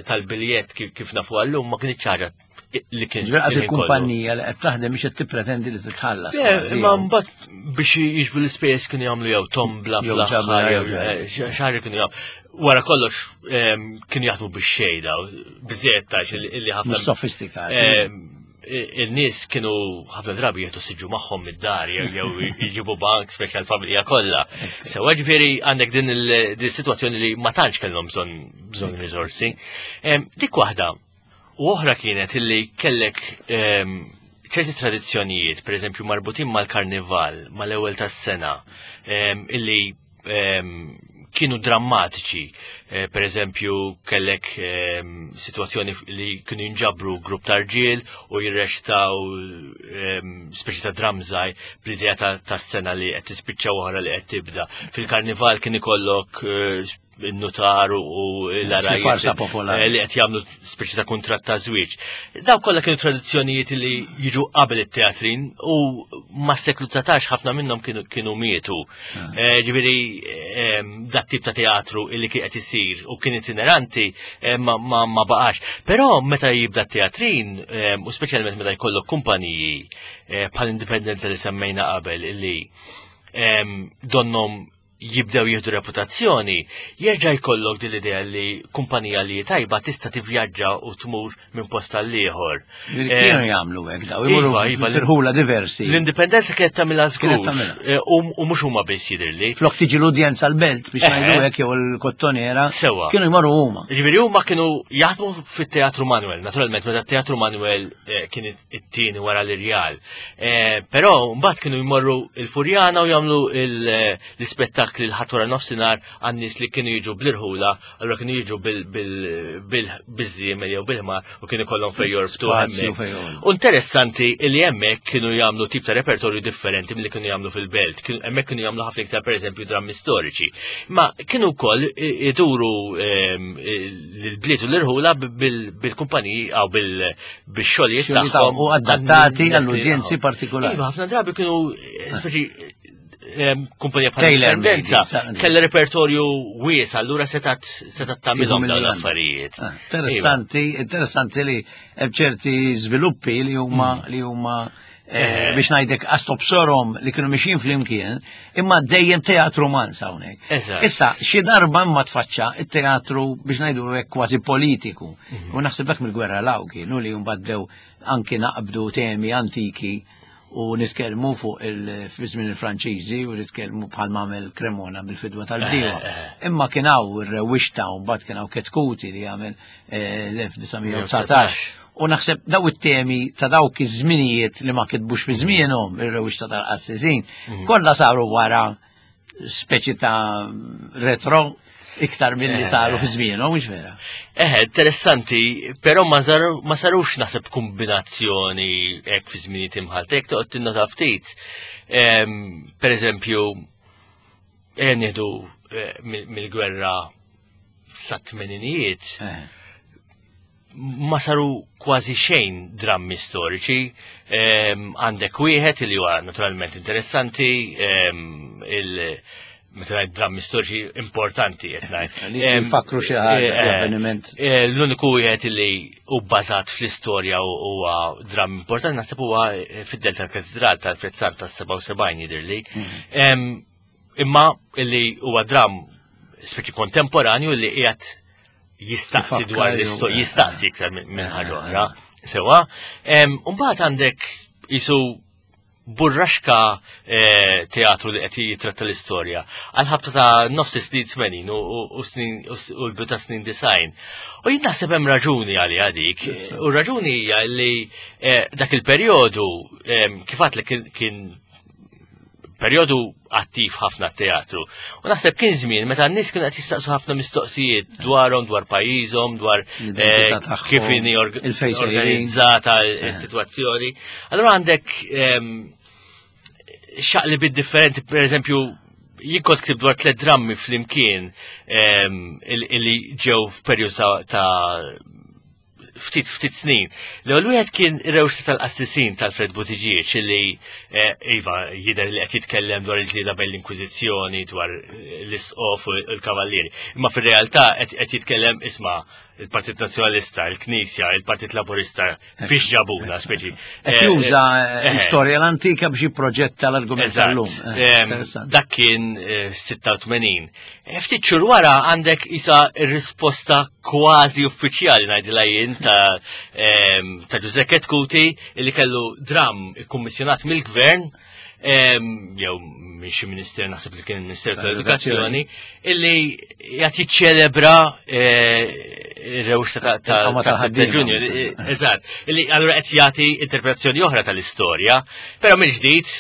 Speaker 2: tal-biljett kif nafu għallum ma kienx ħaġa li kien.
Speaker 1: Ġifieri qas il-kumpanija li qed taħdem biex qed tippretendi li titħallas.
Speaker 2: Imma mbagħad biex jiġbu l-ispejjeż kienu jagħmlu jew tombla fl-aħħar jew eh, xi kienu jagħmlu. Wara kollox kienu jaħdmu bix-xejda, biżejjed tax li ħafna.
Speaker 1: Sofistikat.
Speaker 2: Il-nies kienu ħafna drabi jieħdu siġu magħhom mid-dar jew jġibu bank speċjal familja kollha. Sewa ġifieri għandek din il-sitwazzjoni li ma tantx kellhom bżonn bżonn riżorsi. Dik waħda. U oħra kienet illi kellek ċerti tradizzjonijiet, per eżempju marbutin mal-karnival, mal-ewwel tas-sena, illi kienu drammatiċi. Eh, per eżempju, kellek ehm, situazzjoni li kienu jinġabru grupp ta' rġiel u jirrextaw ehm, speċi ta' dramżaj bl-idea ta' sena li qed tispiċċa oħra li qed tibda. Fil-karnival kien ikollok eh, il-notar u l-araj.
Speaker 1: Farsa popolari.
Speaker 2: Eh, li qed jagħmlu speċi ta' kuntratt ta' żwieġ. Daw kollha kienu tradizzjonijiet li jiġu qabel it-teatrin u mas-seklu 19 ħafna minnhom kienu mietu. Ah. Eh, ġifieri ehm, dat tip ta' teatru illi kien qed isir u kien itineranti eh, ma baqax. Però meta jibda t-teatrin ehm, u speċjalment meta jkollok kumpaniji eh, bħal indipendenza li semmejna qabel illi ehm, donnom jibdew jieħdu reputazzjoni, jerġa' jkollok din l-idea li kumpanija li tajba tista' tivvjaġġa u tmur minn post għal ieħor.
Speaker 1: Kienu eh, jagħmlu hekk daw, imorru iva, iva, firħula diversi.
Speaker 2: L-indipendenza kienet tagħmilha żgur. Eh, u mhux huma biss jidhirli.
Speaker 1: Flok tiġi l-udjenza l-belt biex eh, ngħidu hekk jew l-kottoniera.
Speaker 2: Sewa.
Speaker 1: Kienu jmorru huma.
Speaker 2: Ġifieri huma kienu jaħdmu fit-Teatru Manuel, naturalment meta t-Teatru Manuel kien it-tieni wara l-Irjal. Eh, però mbagħad kienu jmorru il-Furjana u jagħmlu eh, l-ispettakli l-ħadd wara nofsinhar għan-nies li kienu jiġu bl-irħula, allura kienu jiġu bil-żiemel jew bil-ħmar u kienu kollhom fejn jorbtu. U interessanti li hemmhekk kienu jagħmlu tip ta' repertorju differenti milli kienu jagħmlu fil-belt. Hemmhekk kienu jagħmlu ħafna iktar pereżempju drammi storiċi. Ma kienu wkoll iduru ehm, l-bliet u l-irħula bil-kumpaniji għaw bil-xogħlijiet
Speaker 1: tagħhom u adattati għall-udjenzi partikolari.
Speaker 2: Iva, ħafna drabi kienu eh, speċi eh, kumpanija bħal Indipendenza kellha repertorju wies, allura setat setat tagħmilhom dawn l-affarijiet.
Speaker 1: Ah, interessanti, iva. interessanti li hemm ċerti żviluppi li huma mm. li huma Eh, biex ngħidlek għastobsorom li kienu mixin flimkien, imma dejjem teatru mans hawnhekk. Issa, xi darba imma tfaċċa it-teatru biex ngħidu hekk kważi politiku. Mhm. U naħseb dak mill-gwerra law kienu li mbagħad anki naqbdu temi antiki u nitkellmu fuq il-żmien il-Franċiżi u nitkellmu bħal mamel Cremona bil-fidwa tal-bdiewa. Eh, eh. Imma kien hawn ir-rewwixta u mbagħad kien hawn Ketkuti li għamel l-1919. U naħseb daw it-temi ta' dawk iż-żminijiet li ma kitbux fi żmienhom ir-rewwixta tal-qassisin, mhm. kollha saru wara speċi ta' retro iktar milli eh. saru fi żmienhom, mhux vera.
Speaker 2: Eh, interessanti, però ma sarux naħseb kombinazzjoni hekk fi żminijiet imħalta, jekk toqgħod tinnota ftit. Per eżempju, eh, nieħdu eh, mill-gwerra sa tmeninijiet eh. ma saru kważi xejn drammi storiċi. Għandek wieħed li huwa naturalment interessanti, ehm, Meta ngħid drammi storiċi importanti qed ngħid.
Speaker 1: Li jfakru xi ħaġa, xi avveniment.
Speaker 2: L-uniku wieħed li hu bbażat fl-istorja u huwa dramm importanti naħseb huwa fid-Delta tal-Katedral tal-Prezzar tas-77 jidhirli. Imma li huwa dramm speċi kontemporanju li qiegħed jistaqsi dwar l-istorja, jistaqsi iktar minn ħaġa oħra. Sewa. Mbagħad għandek jisu burraxka eh, teatru li qed jitratta l-istorja. Għal ħabta ta' nofs snin 80 u snin u l-bidu ta' snin design. U jien naħseb hemm raġuni għaliha dik. U raġuni hija li eh, dak il-perjodu eh, kif li kien perjodu attiv ħafna teatru. U naħseb kien żmien meta n-nies kienu qed jistaqsu ħafna mistoqsijiet dwarhom, dwar pajjiżhom, dwar eh, kif inhi organizzata s-sitwazzjoni. Allura għandek ehm, xaqli bid differenti, per eżempju, jien kont ktib dwar tliet drammi flimkien ehm, illi ġew f'perjodu ta' ftit ftit snin. L-ewwel wieħed kien rewxta tal-qassisin tal-Fred Buttigieg li eh, iva jidher li qed jitkellem dwar il-ġlieda bejn l-Inkwiżizzjoni, dwar eh, l-isqof u l-kavallieri. Imma fir-realtà qed jitkellem isma' il-Partit Nazzjonalista, il-Knisja, il-Partit Laburista, fiex ġabuna, speċi.
Speaker 1: Qed eh, juża l-istorja l-antika biex jipproġetta l-argument tal-lum.
Speaker 2: Dak kien 86. Ftit xhur wara għandek isa r-risposta kważi uffiċjali ngħidilha jien ta' ta' Giuseppe Chetcuti li kellu dram ikkummissjonat mill-gvern jew minn xi minister naħseb li kien il-Ministeru tal-Edukazzjoni illi qed jiċċelebra ir-rewxta ta' ta' Ġunju. Eżatt, illi allura qed jagħti interpretazzjoni oħra tal-istorja, però mill-ġdid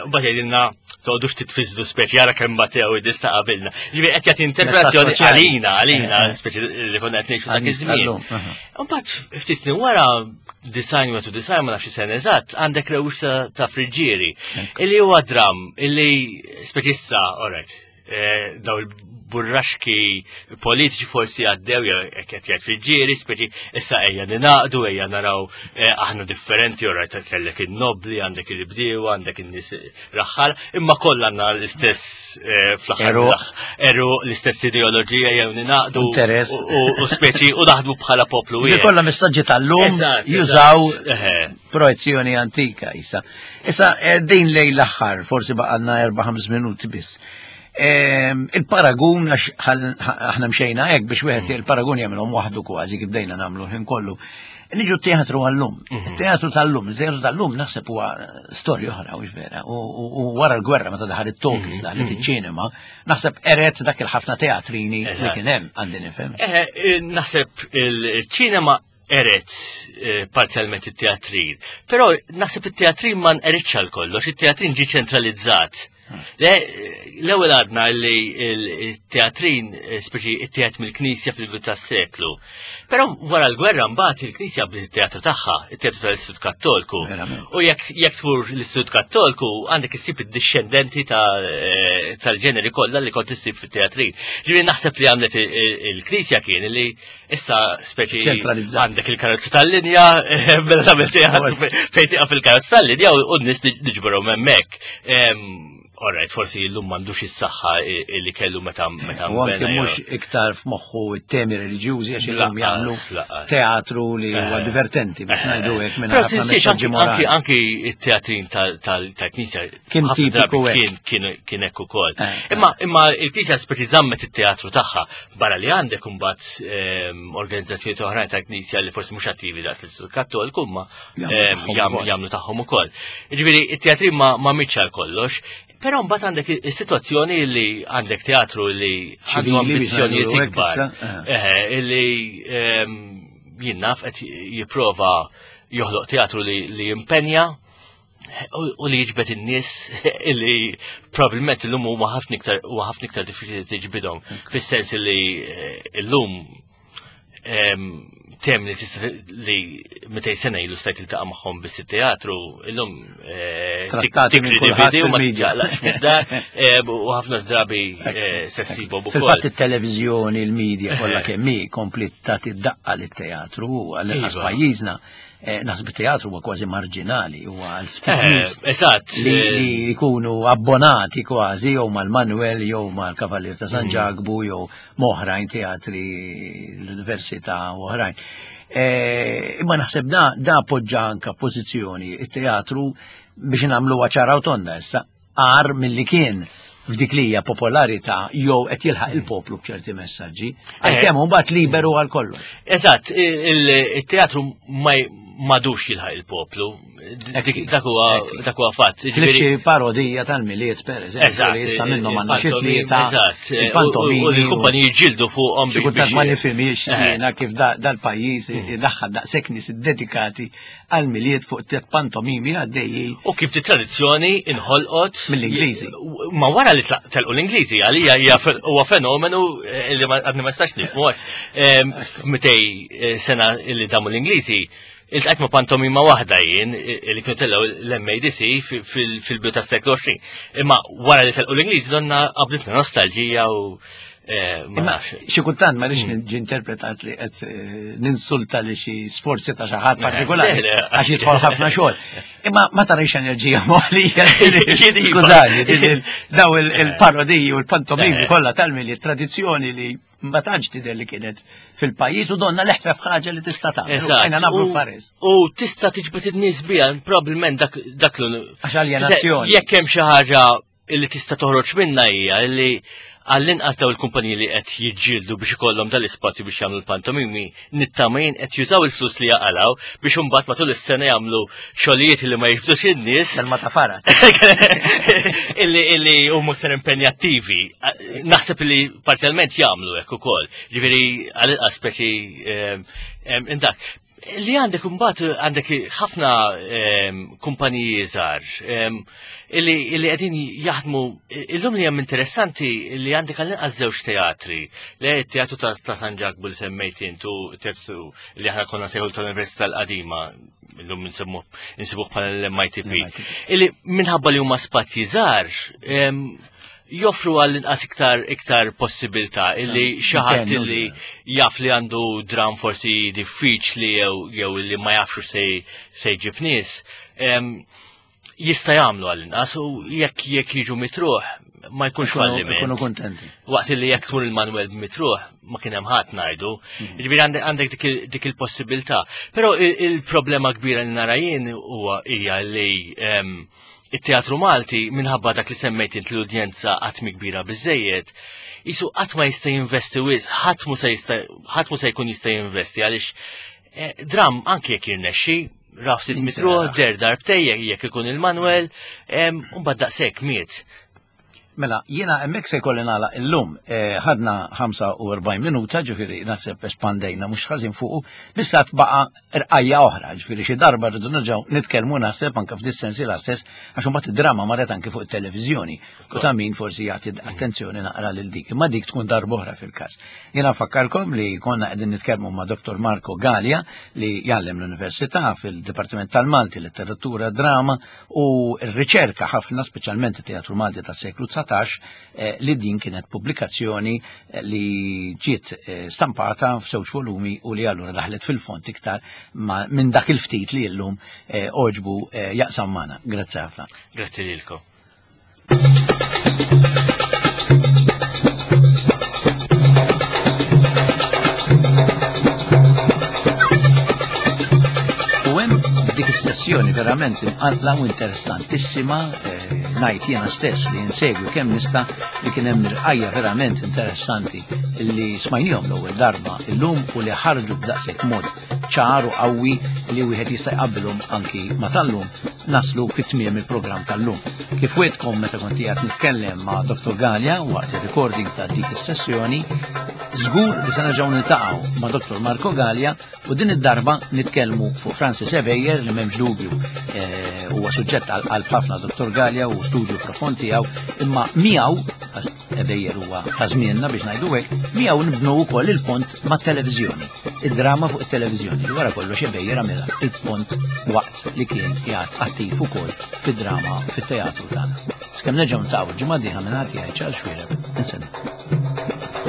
Speaker 2: mbagħad jgħidilna toqgħodux titfiżdu speċi jara kemm batew id-nies ta' qabilna. Ġifieri qed jagħti interpretazzjoni għalina, għalina, eh, eh. speċi li konna qed ngħixu dak iż-żmien. Imbagħad ftit snin wara design u design ma nafx sena eżatt, għandek rewx ta' friġġieri. Illi huwa dram, illi speċi issa, alright, Eh, daw il-burraxki politiċi forsi għaddew jew qed jgħid fil-ġieri, speċi issa ejja ninaqdu, ejja naraw eh, aħna differenti, ora kellek in-nobli, għandek il-bdiewa, għandek in-nies raħħal, imma kollha għandna l-istess eh, fl-aħħar eru l-istess ideoloġija jew ninaqdu
Speaker 1: interess
Speaker 2: u speċi u naħdmu bħala poplu
Speaker 1: wieħed. Kollha messaġġi tal-lum jużaw projezzjoni antika issa. Issa din lejn l-aħħar, forsi baqgħalna 4-5 minuti biss. Ehm, il-paragun, għax aħna mxejna hekk biex wieħed mm. il-paragun jagħmilhom waħdu kważi kif bdejna nagħmlu ħin kollu. Niġu t-teatru għallum. Mhm. Il-teatru tal-lum, il-teatru tal-lum naħseb huwa storja oħra, u vera. U wara l-gwerra meta daħal it-tokis, mhm. daħlet mhm. iċ-ċinema, naħseb eret dak il-ħafna teatrini li kien hemm għandi nifhem.
Speaker 2: Eh, eh, naħseb il-ċinema eret eh, parzjalment it-teatrin. Però naħseb it-teatrin ma nqeritx għal kollox, it-teatrin ġi ċentralizzat. L-ewwel għadna li t-teatrin eh, speċi it-teat mill-Knisja fil-bidu tas-seklu. Però wara l-gwerra mbagħad il-Knisja bdiet it-teatru tagħha, it-teatru tal-Istitut Kattolku. U jekk jekk tmur l-Istitut Kattolku għandek issib id-dixxendenti eh, tal-ġeneri kollha li kont issib fit-teatrin. Ġifieri naħseb li għamlet il-Knisja kien li Issa speċi għandek il-karozza tal-linja, mela tagħmel fejn tieqaf il-karozza tal-linja u n-nies niġborhom hemmhekk. Alright, forsi llum m'għandux is-saħħa li kellu meta meta
Speaker 1: U anke mhux iktar f'moħħu t-temi reliġjużi għax illum jagħmlu teatru li huwa eh. divertenti biex eh. ngħidu hekk minn ħafna messaġġi
Speaker 2: morali. Anki t-teatrin tal-Knisja
Speaker 1: Kien tipiku
Speaker 2: hekk. Kien hekk ukoll. Eh, eh. Imma imma il-Knisja speċi żammet it-teatru tagħha barra li għandek imbagħad ehm, organizzazzjoni oħrajn tal-Knisja li forsi mhux attivi daqs l-Istitut Kattoliku imma ehm, jagħmlu tagħhom ukoll. Jiġifieri it-teatri ma mitx għal kollox, Però mbagħad għandek is-sitwazzjoni li għandek teatru li għandu ambizzjonijiet ikbar. Eh. Li ehm, jien naf qed jipprova joħloq teatru li jimpenja u li jiġbed in-nies li probabbilment illum huma ħafna iktar huwa ħafna iktar diffiċli tiġbidhom fis-sens li eh, illum tem li tista' li 200 sena ilu stajt iltaqa' magħhom biss it-teatru, illum
Speaker 1: eh, Trattati minn kulħadd
Speaker 2: u ma tiġaqlaqx mid-dar eh, u ħafna drabi eh, se ssibhom
Speaker 1: ukoll. Fil-fatt it-televiżjoni, il-medja kollha kemm hi kompli tagħti daqqa lit-teatru għall-inqas iva. pajjiżna. Naħseb it-teatru huwa kważi marġinali, huwa għal ftit
Speaker 2: Eżatt.
Speaker 1: Li jkunu abbonati kważi jew mal-Manuel jew mal-Kavalier ta' San mm. Ġakbu jew m'oħrajn teatri l-Università u oħrajn. E, imma naħseb da, da poġġa anka pożizzjoni it-teatru biex nagħmlu ċara u tonda issa għar milli kien f'dik li hija popolarità jew qed jilħaq il-poplu b'ċerti messaġġi, għalkemm eh. mbagħad liberu għal kollox.
Speaker 2: Eżatt, il-teatru ma madux jilħaq il-poplu. Dak huwa fatt.
Speaker 1: Xi parodija tal-Milied pereżempju li issa minnhom għandna xi tlieta.
Speaker 2: Eżatt. Il-pantomimi. U l-kumpaniji ġildu fuqhom.
Speaker 1: Xi kultant ma nifhimiex eh. jiena kif dal-pajjiż mm. idaħħal daqshekk nies iddedikati għall-Milied fuq tliet pantomimi għaddejjin.
Speaker 2: U kif di tradizzjoni inħolqot
Speaker 1: mill-Ingliżi.
Speaker 2: Ma wara li telqu l-Ingliżi għalija huwa fenomenu eh, li għadni ma nistax nifhmu. F'mitej eh, sena li damu l-Ingliżi Iltqajt ma' pantomima waħda jien li kienu tellgħu l-MADC fil-bidu tas-seklu 20. Imma wara li telqu l-Ingliżi donna qabditna nostalġija u eh,
Speaker 1: ma xi kultant ma rridx mm. niġi interpretat li qed eh, ninsulta li xi sforzi ta' xi ħadd eh, partikolari għax jidħol ħafna xogħol. Imma ma tarix enerġija moħlija. Skużani, daw il-parodiji u l-pantomimi kollha tal-mili tradizzjoni li ma tantx tidher li kienet fil-pajjiż u donna leħfef ħaġa li tista' tagħmel. Għajna nagħmlu faris.
Speaker 2: U tista' tiġbed in-nies biha, probabbilment dak dak
Speaker 1: l Għax aljenazzjoni.
Speaker 2: Jekk hemm xi ħaġa li tista' toħroġ minna hija li għall-inqas daw il-kumpaniji li qed jiġġieldu biex ikollhom dal-ispazju biex jagħmlu l-pantomimi, nittama jien qed jużaw il-flus li jaqalaw biex imbagħad matul is-sena jagħmlu xogħlijiet li ma jiġbdux in-nies.
Speaker 1: Selma ta' fara.
Speaker 2: Illi illi huma aktar impenjattivi. Naħseb li parzjalment jagħmlu hekk ukoll. Ġifieri għal-inqas speċi ehm, ehm, indak. Li għandek imbagħad għandek ħafna ehm, kumpaniji żgħar illi qegħdin jaħdmu illum li hemm interessanti li għandek għall-inqas żewġ teatri. Le teatru ta' San Ġakbu li semmejt intu teatru li aħna konna sejħu tal-Università l-Qadima illum nsemmu nsibuh bħala l-MITP. Illi minħabba li huma spazji żgħar joffru għall inqas iktar iktar possibilità illi xi ħadd illi jaf li għandu dram forsi diffiċli jew jew li ma jafx se se jġib nies jista' jagħmlu għall inqas u jekk jekk jiġu mitruħ ma jkunx falliment.
Speaker 1: Ikunu kontenti.
Speaker 2: Waqt li jekk tkun il-Manuel mitruħ ma kien hemm ħadd ngħidu. Mm. Ġifieri għandek dik il-possibilità. Però il-problema kbira li nara jien huwa hija li it-teatru Malti minħabba dak li semmejt int l-udjenza qatt mi kbira biżejjed, jisu qatt ma jista' jinvesti wisq, ħadd mu se jista' ħadd mu se jkun jista' jinvesti għaliex eh, dram anke jekk jirnexxi, raf sit mitruħ, der darbtej jekk ikun il-Manuel, u mbagħad daqshekk miet.
Speaker 1: Mela, jiena hemmhekk se jkolli nagħlaq illum. Eh, ħadna 45 minuta, ġifieri naħseb espandejna mhux ħażin fuqu, bissa tbaqa' rqajja oħra, ġifieri xi darba rridu nerġgħu nitkellmu naħseb anke f'dis-sensiela stess għax imbagħad id-drama marret anke fuq it-televiżjoni. U ta' min forsi jagħti attenzjoni naqra lil dik, imma dik tkun darba oħra fil-każ. Jiena nfakkarkom li konna qegħdin nitkellmu ma' Dr. Marco Galea li jgħallem l-Università fil-Dipartiment tal-Malti, Letteratura, Drama u r-riċerka ħafna, speċjalment it-Teatru Malti tas-seklu 19, eh, li din kienet pubblikazzjoni eh, li ġiet eh, stampata f'żewġ volumi u li allura daħlet fil-fond iktar minn dak il-ftit li llum oġbu jaqsam magħna. Grazzi ħafna.
Speaker 2: Grazzi lilkom.
Speaker 1: U hemm dik is-sessjoni verament imqanqla u interessantissima eh, ngħid jiena stess li insegwi kemm nista' li kien hemm irqajja verament interessanti li smajnihom l-ewwel darba illum u li ħarġu b'daqshekk mod ċar u qawwi li wieħed jista' jqabbilhom anki ma' tal-lum naslu fi tmiem il-programm tal-lum. Kif wetkom meta kont qiegħed nitkellem ma' Dr. Galea waqt ir-recording ta' dik is-sessjoni, żgur li se nerġgħu niltaqgħu ma' Dr. Marco Galea u din id-darba nitkellmu fuq Francis Ebejer li m'hemmx dubju eh, huwa suġġett għal qalb ħafna Dr. Galea u studju profond tiegħu imma miegħu Ebejer huwa ta' żmienna biex ngħidu hekk, miegħu nibnu wkoll il-pont mat-televiżjoni, id-drama fuq it-televiżjoni li wara kollox Ebejer għamilha il-pont waqt li kien qiegħed attiv ukoll fid-drama fit-teatru tagħna. Skemm nerġgħu niltaqgħu l-ġimgħa d-dieħla minn ħadd jgħid Charles Xuereb, insellmilkom.